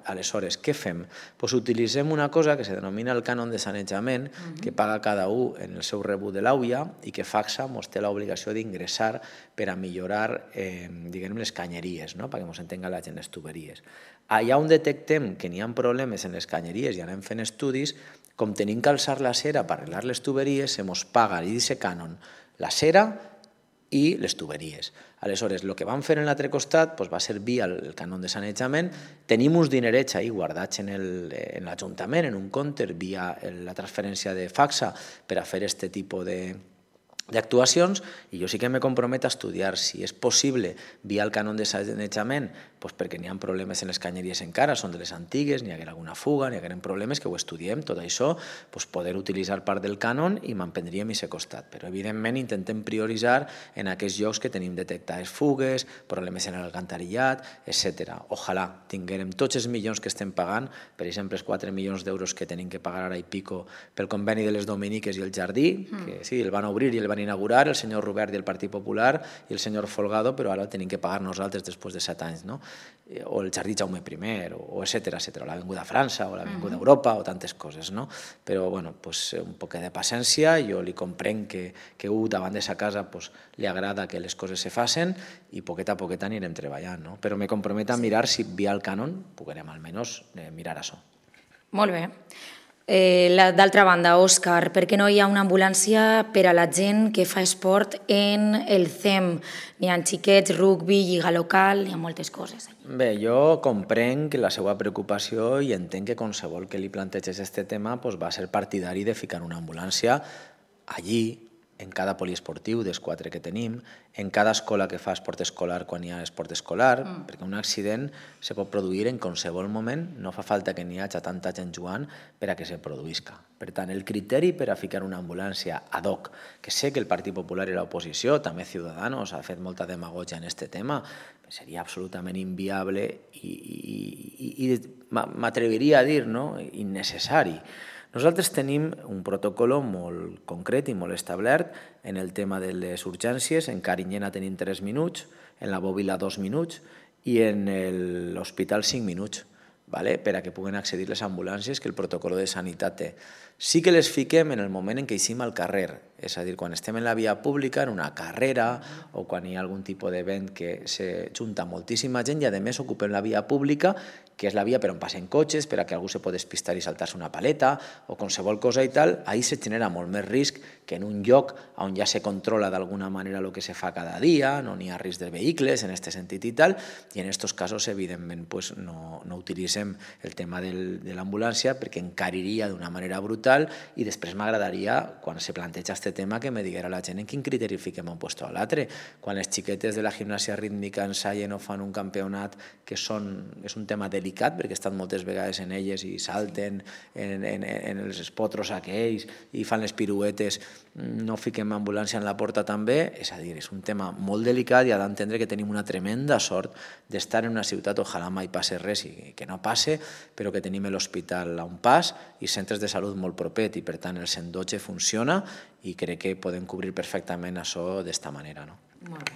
Aleshores, què fem? Utilitzem una cosa que se denomina el cànon de sanejament, que paga cada un en el seu rebut de l'AUIA i que FACSA ens té l'obligació d'ingressar per a millorar les canyeries, perquè ens entenga la gent, les tuberies. Allà on detectem que n'hi ha problemes en les canyeries i anem fent estudis, com tenim que alçar la cera per arreglar les tuberies, se ens paga d'aquest cànon la cera i les tuberies. Aleshores, el que vam fer en l'altre costat va ser via el cànon de sanejament. Tenim uns dinerets ahí guardats en l'Ajuntament, en un compte, via la transferència de FACSA per a fer aquest tipus d'actuacions, i jo sí que me comprometo a estudiar si és possible via el cànon de sanejament, perquè n'hi ha problemes en les canyeries encara, són de les antigues, n'hi haguera alguna fuga, n'hi hagueren problemes, que ho estudiem, tot això, poder utilitzar part del cànon i m'emprendríem a aquest costat. Però evidentment intentem prioritzar en aquests llocs que tenim detectades fugues, problemes en l'alcantarillat, etc. Ojalà tinguérem tots els milions que estem pagant, per exemple, els 4 milions d'euros que tenim que pagar ara i pico pel conveni de les Dominiques i el Jardí, que sí, el van obrir i el van inaugurar el senyor Robert i el Partit Popular i el senyor Folgado, però ara el tenim que pagar nosaltres després de 7 anys, no? O el Jardí Jaume I, o etcètera, o l'Avinguda França, o l'Avinguda Europa, o tantes coses, no? Però, bueno, un poc de paciència, jo li comprenc que davant de sa casa li agrada que les coses se facin i poquet a poquet anirem treballant, no? Però me comprometo a mirar si via el cànon puguem almenys mirar això. Molt bé. D'altra banda, Òscar, per què no hi ha una ambulància per a la gent que fa esport en el CEM? N'hi ha xiquets, rugby, lliga local, hi ha moltes coses. Bé, jo comprenc la seva preocupació i entenc que qualsevol que li planteges aquest tema va ser partidari de ficar una ambulància allí, en cada poliesportiu dels 4 que tenim, en cada escola que fa esport escolar quan hi ha esport escolar, perquè un accident se pot produir en qualsevol moment, no fa falta que n'hi hagi tanta gent jugant per a que se produïsca. Per tant, el criteri per a ficar una ambulància ad hoc, que sé que el Partit Popular i l'oposició, també Ciudadanos, ha fet molta demagogia en aquest tema, seria absolutament inviable i m'atreviria a dir, innecessari. Nosaltres tenim un protocol molt concret i molt establert en el tema de les urgències. En Carinyena tenim 3 minuts, en la Bòbila 2 minuts i en l'hospital 5 minuts. per a que puguen accedir les ambulàncies que el protocol de sanitat té. Sí que les fiquem en el moment en què eixim al carrer, és a dir, quan estem en la via pública, en una carrera o quan hi ha algun tipus d'event que se junta moltíssima gent i a més ocupem la via pública, que és la via per on passen cotxes, per a que algú se pot despistar i saltar-se una paleta o qualsevol cosa i tal, ahí se genera molt més risc que en un lloc on ja se controla d'alguna manera el que se fa cada dia, no n'hi ha risc de vehicles en aquest sentit i tal, i en aquests casos, evidentment, no utilitzem el tema de l'ambulància perquè encariria d'una manera brutal i després m'agradaria, quan se planteja aquest tema, que me diguera la gent en quin criteri fiquem un puesto a l'altre. Quan les xiquetes de la gimnàsia rítmica ensaien o fan un campionat que és un tema delicat perquè estan moltes vegades en elles i salten en els espotros aquells i fan les piruetes, no fiquem ambulància en la porta també, és a dir, és un tema molt delicat i ha d'entendre que tenim una tremenda sort d'estar en una ciutat, ojalà mai passe res i que no passe, però que tenim l'hospital a un pas i centres de salut molt propet i per tant el 112 funciona i crec que podem cobrir perfectament això d'esta manera. Molt bé.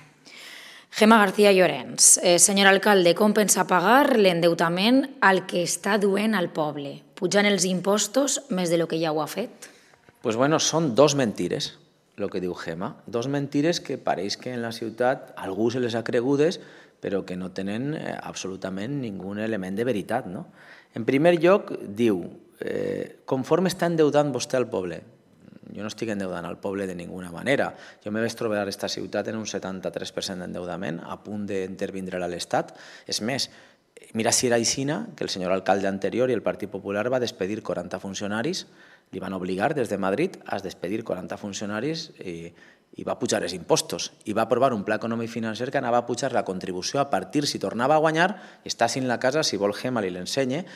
Gemma García Llorens, senyor alcalde, com pensa pagar l'endeutament al que està duent al poble? Pujant els impostos més de lo que ja ho ha fet? Pues bueno, són dos mentires, el que diu Gemma. Dos mentires que pareix que en la ciutat algú se les ha cregudes, però que no tenen absolutament ningun element de veritat. En primer lloc, diu, conforme està endeudant vostè al poble? Jo no estic endeudant al poble de ninguna manera. Jo me vaig trobar a aquesta ciutat en un 73% d'endeudament, a punt d'intervindre a l'Estat. És més, mira si era aixina que el senyor alcalde anterior i el Partit Popular va despedir 40 funcionaris, li van obligar des de Madrid a despedir 40 funcionaris i va pujar els impostos. I va aprovar un pla econòmic financer que anava a pujar la contribució a partir, si tornava a guanyar, està sin la casa, si vol Gemma li l'ensenye,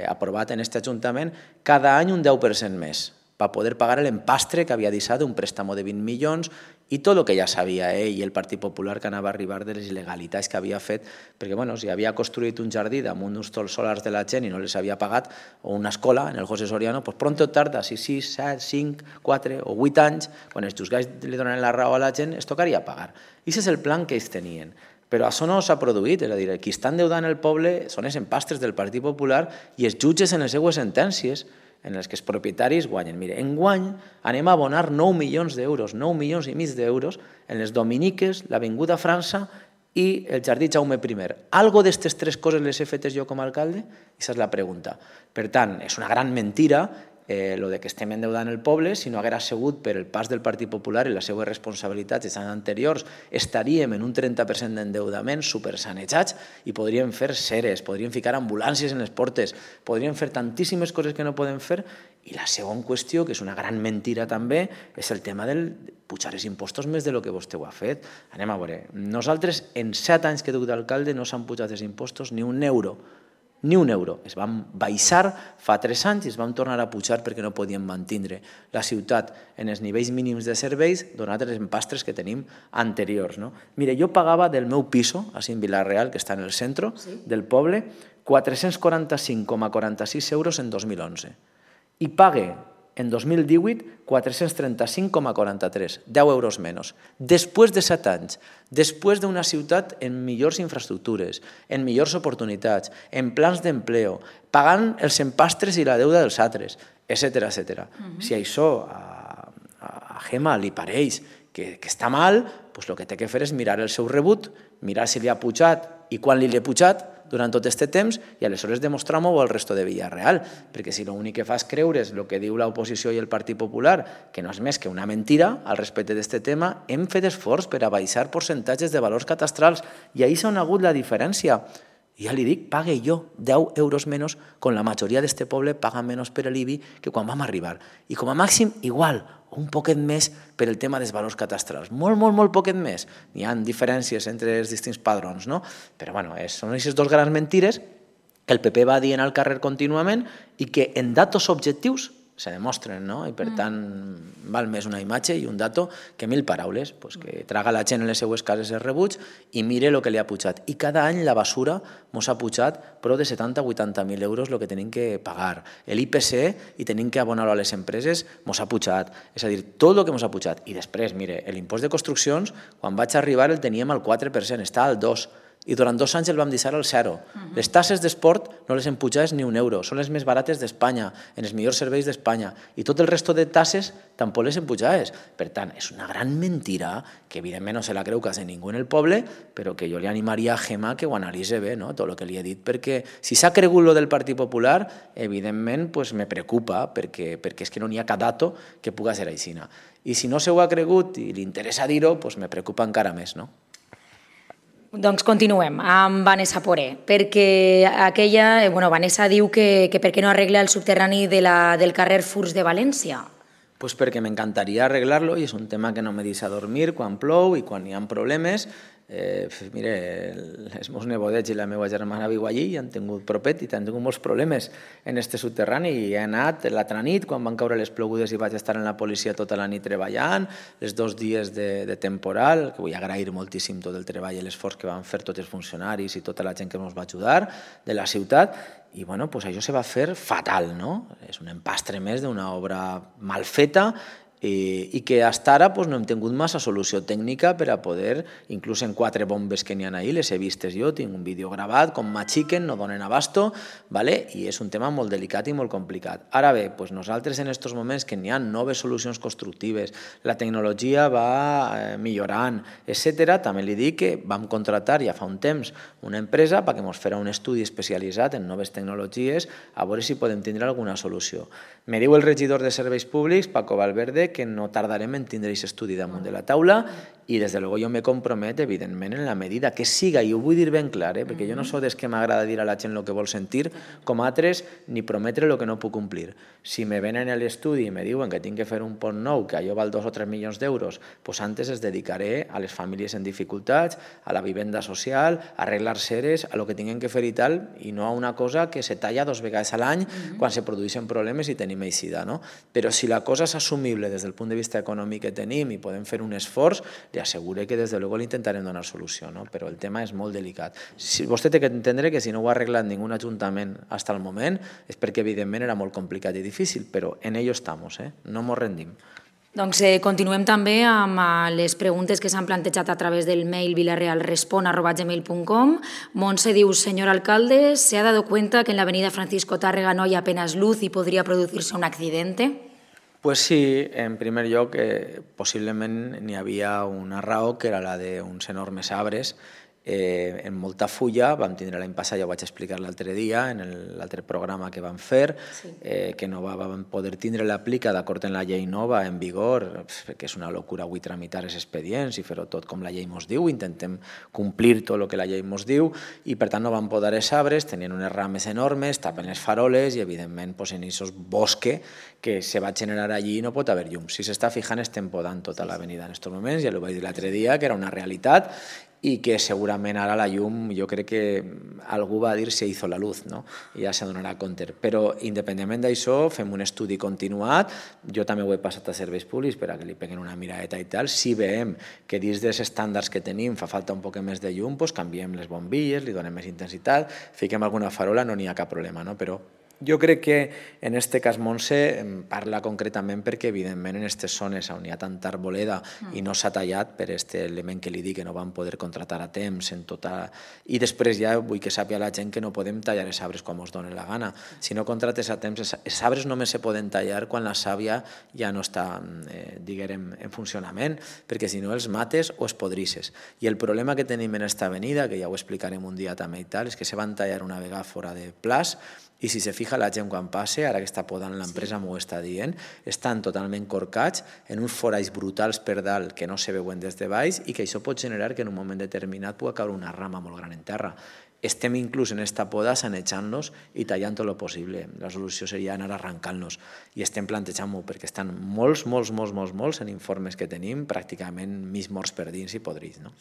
aprovat en aquest Ajuntament, cada any un 10% més, per poder pagar l'empastre que havia deixat un préstamo de 20 milions i tot el que ja sabia ell i el Partit Popular que anava a arribar de les il·legalitats que havia fet, perquè si havia construït un jardí damunt d'uns solars de la gent i no les havia pagat, o una escola en el José Soriano, doncs pront o tard, si 6, 7, 5, 4 o 8 anys, quan els jutjats li donen la raó a la gent, es tocaria pagar. I aquest és el plan que ells tenien. Però això no s'ha produït, és a dir, qui està endeudant el poble són els empastres del Partit Popular i els jutges en les seues sentències en els que els propietaris guanyen. Mire, enguany anem a abonar 9 milions d'euros, 9 milions i mig d'euros en les Dominiques, l'Avinguda França i el Jardí Jaume I. Algo d'aquestes tres coses les he fetes jo com a alcalde? Aquesta és la pregunta. Per tant, és una gran mentira lo de que estem endeudant el poble. Si no haguera sigut per el pas del Partit Popular i les seues responsabilitats dels anys anteriors, estaríem en un 30% d'endeudament supersanejats i podríem fer ceres, podríem ficar ambulàncies en les portes, podríem fer tantíssimes coses que no podem fer. I la segona qüestió, que és una gran mentira també, és el tema del pujar els impostos més del que vostè ho ha fet. Anem a veure, nosaltres en 7 anys que he dut d'alcalde no s'han pujat els impostos ni un euro. Ni un euro. Es van baixar fa 3 anys i es van tornar a pujar perquè no podien mantindre la ciutat en els nivells mínims de serveis donat els empastres que tenim anteriors. Mira, jo pagava del meu piso, així en Vila-real, que està en el centre del poble, 445,46 euros en 2011. I pague en 2018 435,43, 10 euros menys. Després de 7 anys, després d'una ciutat en millors infraestructures, en millors oportunitats, en plans d'empleo, pagant els empastres i la deuda dels altres, etc. Si això a Gemma li pareix que està mal, doncs el que té que fer és mirar el seu rebut, mirar si li ha pujat i quan li ha pujat durant tot aquest temps i aleshores demostrar-m'ho al resto de Vila-real, perquè si l'únic que fa és creure's el que diu l'oposició i el Partit Popular, que no és més que una mentira al respecte d'aquest tema, hem fet esforç per a baixar percentatges de valors catastrals i ahir s'ha hagut la diferència. I ja li dic, pague jo 10 euros menys, quan la majoria d'aquest poble paga menys per l'IBI que quan vam arribar. I com a màxim, igual, un poquet més per el tema dels valors catastrals. Molt poquet més. N'hi ha diferències entre els distints padrons, no? Però bueno, són aquestes dues grans mentires que el PP va dient al carrer contínuament i que en datos objectius se demostren, no? I per tant val més una imatge i un dato que 1000 paraules, que traga la gent en les seues cases els rebuts i mire el que li ha pujat. I cada any la basura ens ha pujat prou de 70-80.000 euros el que tenim que pagar. L'IPC i tenim que abonar-ho a les empreses ens ha pujat. És a dir, tot el que ens ha pujat. I després, mire, l'impost de construccions, quan vaig arribar el teníem al 4%, està al 2%. i durant 2 anys el vam deixar al zero. Les tasses d'esport no les hem pujat ni €1, són les més barates d'Espanya, en els millors serveis d'Espanya, i tot el resto de tasses tampoc les hem pujat. Per tant, és una gran mentira que evidentment no se la creu quasi ningú en el poble, però que jo li animaria a Gemma que ho analitzi bé, no? Tot el que li he dit, perquè si s'ha cregut lo del Partit Popular, evidentment pues, me preocupa, perquè és que no n'hi ha cap dato que pugui ser així. I si no se ho ha cregut i li interessa dir-ho, pues, me preocupa encara més, no? Doncs continuem amb Vanessa Poré, perquè Vanessa diu que per què no arregla el subterrani del carrer Furs de València? Pues perquè m'encantaria arreglar-lo i és un tema que no me deixa dormir quan plou i quan hi ha problemes. Mire, els meus nebodets i la meva germana viu allí i han tingut propet i han tingut molts problemes en este subterrani i he anat l'altra nit quan van caure les plogudes i vaig estar en la policia tota la nit treballant, els 2 dies de temporal, que vull agrair moltíssim tot el treball i l'esforç que van fer tots els funcionaris i tota la gent que ens va ajudar de la ciutat i bueno, pues això se va fer fatal, no? És un empastre més d'una obra mal feta i que fins ara no hem tingut massa solució tècnica per a poder, inclús en 4 bombes que n'hi ha ahí, les he vistes jo, tinc un vídeo gravat, com m'axiquen, no donen abasto, i és un tema molt delicat i molt complicat. Ara bé, nosaltres en aquests moments que n'hi ha noves solucions constructives, la tecnologia va millorant, etc., també li dic que vam contratar ja fa un temps una empresa perquè ens farà un estudi especialitzat en noves tecnologies a veure si podem tindre alguna solució. Me diu el regidor de Serveis Públics, Paco Valverde, que no tardarem en tindre aquest estudi damunt de la taula i des de luego jo me compromet, evidentment, en la medida que siga, i ho vull dir ben clar, perquè jo no soc des que m'agrada dir a la gent el que vol sentir, com altres, ni prometre el que no puc complir. Si me venen a l'estudi i me diuen que tinc que fer un pont nou, que allò val 2 o 3 milions d'euros, doncs antes es dedicaré a les famílies en dificultats, a la vivenda social, a arreglar seres, a lo que tinguem que fer i tal, i no a una cosa que se talla 2 vegades a l'any quan se produeixen problemes i tenim eixida, no? Però si la cosa és assumible des del punt de vista econòmic que tenim i podem fer un esforç, li asseguré que des de luego li intentarem donar solució, no? Però el tema és molt delicat. Vostè té que entendre que si no ho ha arreglat ningú ajuntament fins al moment és perquè evidentment era molt complicat i difícil, però en ello estamos, no mos rendim. Doncs continuem també amb les preguntes que s'han plantejat a través del mail vilarrealrespon@gmail.com. Montse diu, señor alcalde, ¿se ha dado cuenta que en la avenida Francisco Tárrega no hay apenas luz y podría producirse un accidente? Pues sí, en primer lloc, possiblement n'hi havia una raó que era la d'uns enormes arbres en molta fulla. Vam tindre l'any passat, ja ho vaig explicar l'altre dia, en l'altre programa que vam fer, que no vam poder tindre l'aplica d'acord amb la llei nova en vigor, perquè és una locura avui tramitar els expedients i fer-ho tot com la llei mos diu, intentem complir tot el que la llei mos diu i per tant no vam podar els arbres, tenien unes rames enormes, tapen les faroles i evidentment en aquest bosque que se va generar allí no pot haver llum. Si s'està fijant estem podant tota l'avenida en aquests moments, ja ho vaig dir l'altre dia, que era una realitat i que segurament ara la llum, jo crec que algú va dir se hizo la luz, no? I ja se donarà compte. Però independentment d'això, fem un estudi continuat, jo també ho he passat a serveis públics per a que li peguen una miradeta i tal. Si veiem que dins dels estàndards que tenim fa falta un poc més de llum, doncs canviem les bombilles, li donem més intensitat, fiquem alguna farola, no n'hi ha cap problema, no? Però jo crec que en aquest cas Montse parla concretament perquè evidentment en aquestes zones on hi ha tanta arboleda i no s'ha tallat per aquest element que li dic que no vam poder contratar a temps i després ja vull que sàpiga la gent que no podem tallar els arbres quan ens doni la gana. Si no contrates a temps, els arbres només se poden tallar quan la sàvia ja no està diguem en funcionament, perquè si no els mates o els podrisses. I el problema que tenim en aquesta avenida, que ja ho explicarem un dia també i tal, és que se van tallar una vegada fora de plaç i si se fija la gent quan passa, ara que està podant l'empresa m'ho està dient, estan totalment corcats en uns foralls brutals per dalt que no se veuen des de baix i que això pot generar que en un moment determinat pugui caure una rama molt gran en terra. Estem inclús en esta poda sanejant-nos i tallant tot el possible. La solució seria anar arrancant-nos i estem plantejant-ho perquè estan molts en informes que tenim, pràcticament mig morts per dins i podrits, no?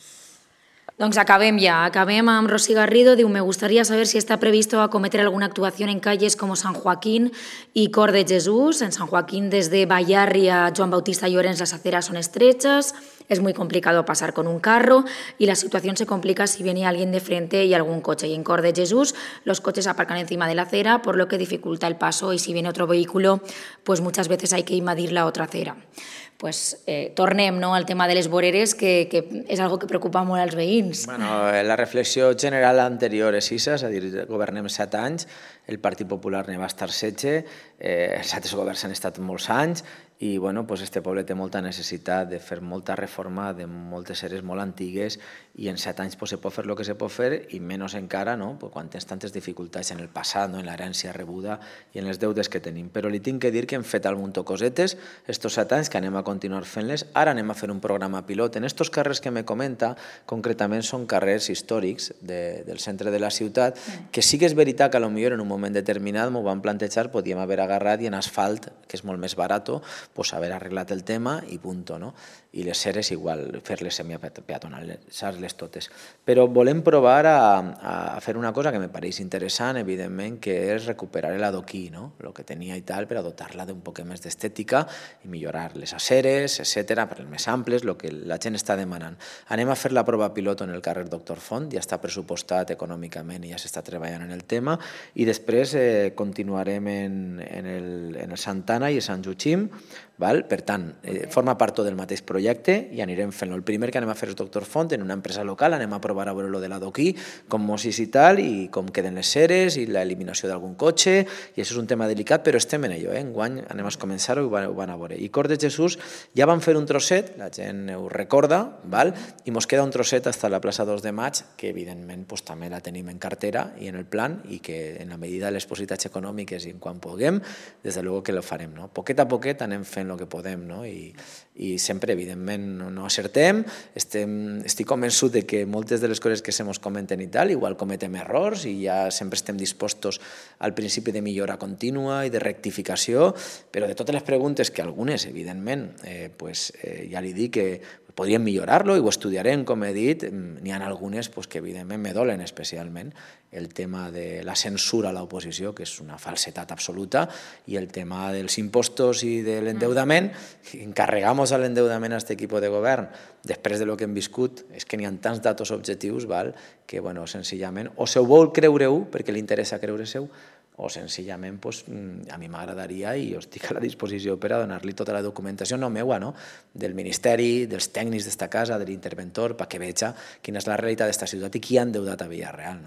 Doncs acabem amb Rosy Garrido. Diu, me gustaría saber si está previsto acometer alguna actuación en calles como San Joaquín y Cor de Jesús. En San Joaquín, desde Bayarri a Joan Bautista Llorens, las aceras son estrechas, es muy complicado pasar con un carro y la situación se complica si viene alguien de frente y algún coche. Y en Cor de Jesús los coches aparcan encima de la acera, por lo que dificulta el paso y si viene otro vehículo, pues muchas veces hay que invadir la otra acera. Pues tornem al tema de les voreres, que és algo que preocupa molt als veïns, dins. La reflexió general anterior és això, és a dir, governem 7 anys, el Partit Popular ne va estar 16, els altres governs han estat molts anys, i este poble té molta necessitat de fer molta reforma de moltes eres molt antigues, i en 7 anys se pot fer el que se pot fer, i menys encara quan tens tantes dificultats en el passat, en l'herència rebuda i en les deudes que tenim. Però li tinc que dir que hem fet algun cosetes estos 7 anys, que anem a continuar fent-les. Ara anem a fer un programa pilot. En estos carrers que me comenta, concretament són carrers històrics del centre de la ciutat, que sí que és veritat que potser en un moment determinat m'ho van plantejar, podíem haver agarrat i en asfalt, que és molt més barat, pues haver arreglat el tema i punto, no? I les ceres igual, fer-les semipeatonalitzar-les totes. Però volem provar a fer una cosa que me pareix interessant, evidentment, que és recuperar l'adoquí, no? El que tenia i tal, per a dotar-la d'un poc més d'estètica i millorar les aceres, etc., per les més amples, el que la gent està demanant. Anem a fer la prova pilot en el carrer Doctor Font, ja està pressupostat econòmicament i ja s'està treballant en el tema, i després continuarem en el Santana i el Sant Joachim. Per tant, forma part del mateix projecte i anirem fent-lo. El primer que anem a fer és Doctor Font, en una empresa local, anem a provar a veure lo de l'adoquí, com mossis i tal, i com queden les ceres i l'eliminació d'algun cotxe, i això és un tema delicat, però estem en allò. Enguany anem a començar-ho i ho van a veure. I Cor de Jesús ja van fer un trosset, la gent ho recorda, i mos queda un trosset fins a la plaça 2 de Maig, que evidentment també la tenim en cartera i en el plan, i que en la medida de les possibilitats econòmiques i en quan puguem, des de luego que lo farem. Poquet a poquet anem fent el que podem, i sempre, evidentment, no acertem. Estic convençut que moltes de les coses que se mos comenten i tal, igual cometem errors i ja sempre estem dispostos al principi de millora contínua i de rectificació, però de totes les preguntes, que algunes, evidentment, ja li dic que podríem millorar-lo i ho estudiarem, com he dit. N'hi ha algunes que evidentment me dolen especialment, el tema de la censura a l'oposició, que és una falsetat absoluta, i el tema dels impostos i de l'endeudament. Encarregamos a l'endeudament a aquest equip de govern després de lo que hem viscut. És que n'hi ha tants datos objectius que, senzillament, o se ho vol creure-ho perquè li interessa creure-se-ho, o senzillament a mi m'agradaria, i jo estic a la disposició per a donar-li tota la documentació, no meua, del Ministeri, dels tècnics d'esta casa, de l'interventor, perquè veja quina és la realitat d'esta ciutat i qui ha endeutat a Villarreal.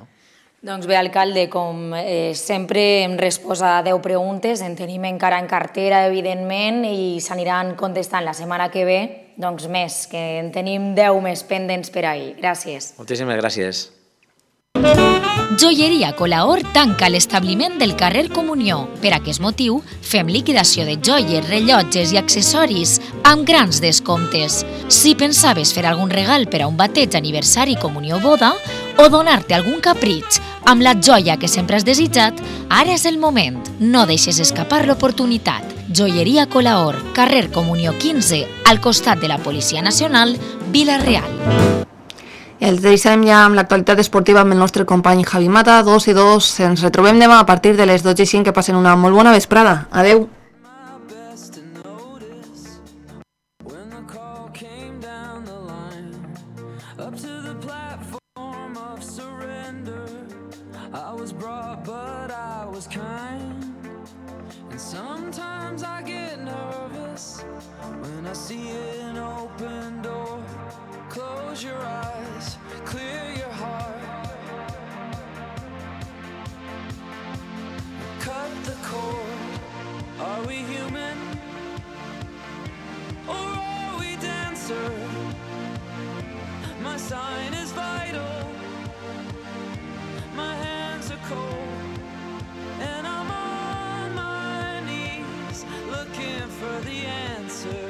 Doncs bé, alcalde, com sempre em resposa a 10 preguntes, en tenim encara en cartera, evidentment, i s'aniran contestant la setmana que ve, doncs més, que en tenim 10 més pendents per ahir. Gràcies. Moltíssimes gràcies. Joieria Colaor tanca l'establiment del carrer Comunió. Per aquest motiu, fem liquidació de joies, rellotges i accessoris amb grans descomptes. Si pensaves fer algun regal per a un bateig, aniversari, comunió o boda, o donar-te algun capritx amb la joia que sempre has desitjat, ara és el moment. No deixes escapar l'oportunitat. Joieria Colaor, carrer Comunió 15, al costat de la Policia Nacional, Vila-real. Els deixem ja amb l'actualitat esportiva amb el nostre company Javi Mata, 2:02. Ens retrobem demà a partir de les 12:05. Que passen una molt bona vesprada. Adeu. Close your eyes, clear your heart. Cut the cord. Are we human? Or are we dancer? My sign is vital. My hands are cold. And I'm on my knees looking for the answer.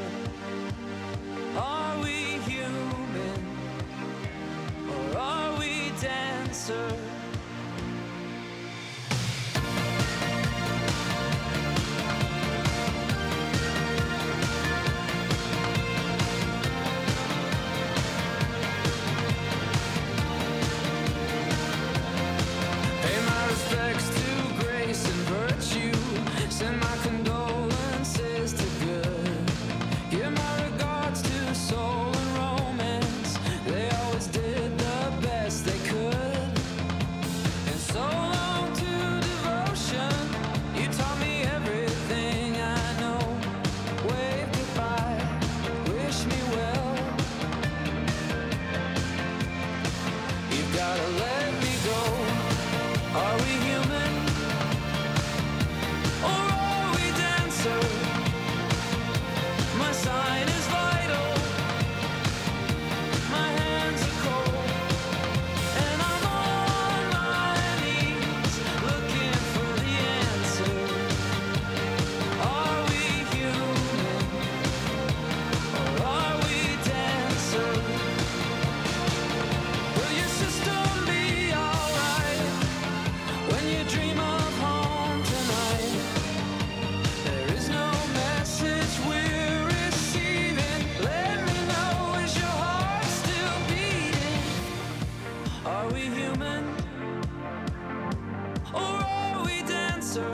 dancer.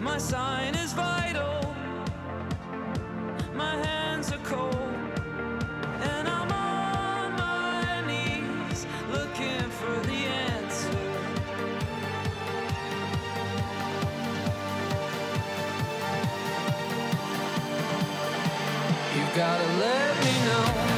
My sign is vital. My hands are cold. And I'm on my knees looking for the answer. You gotta let me know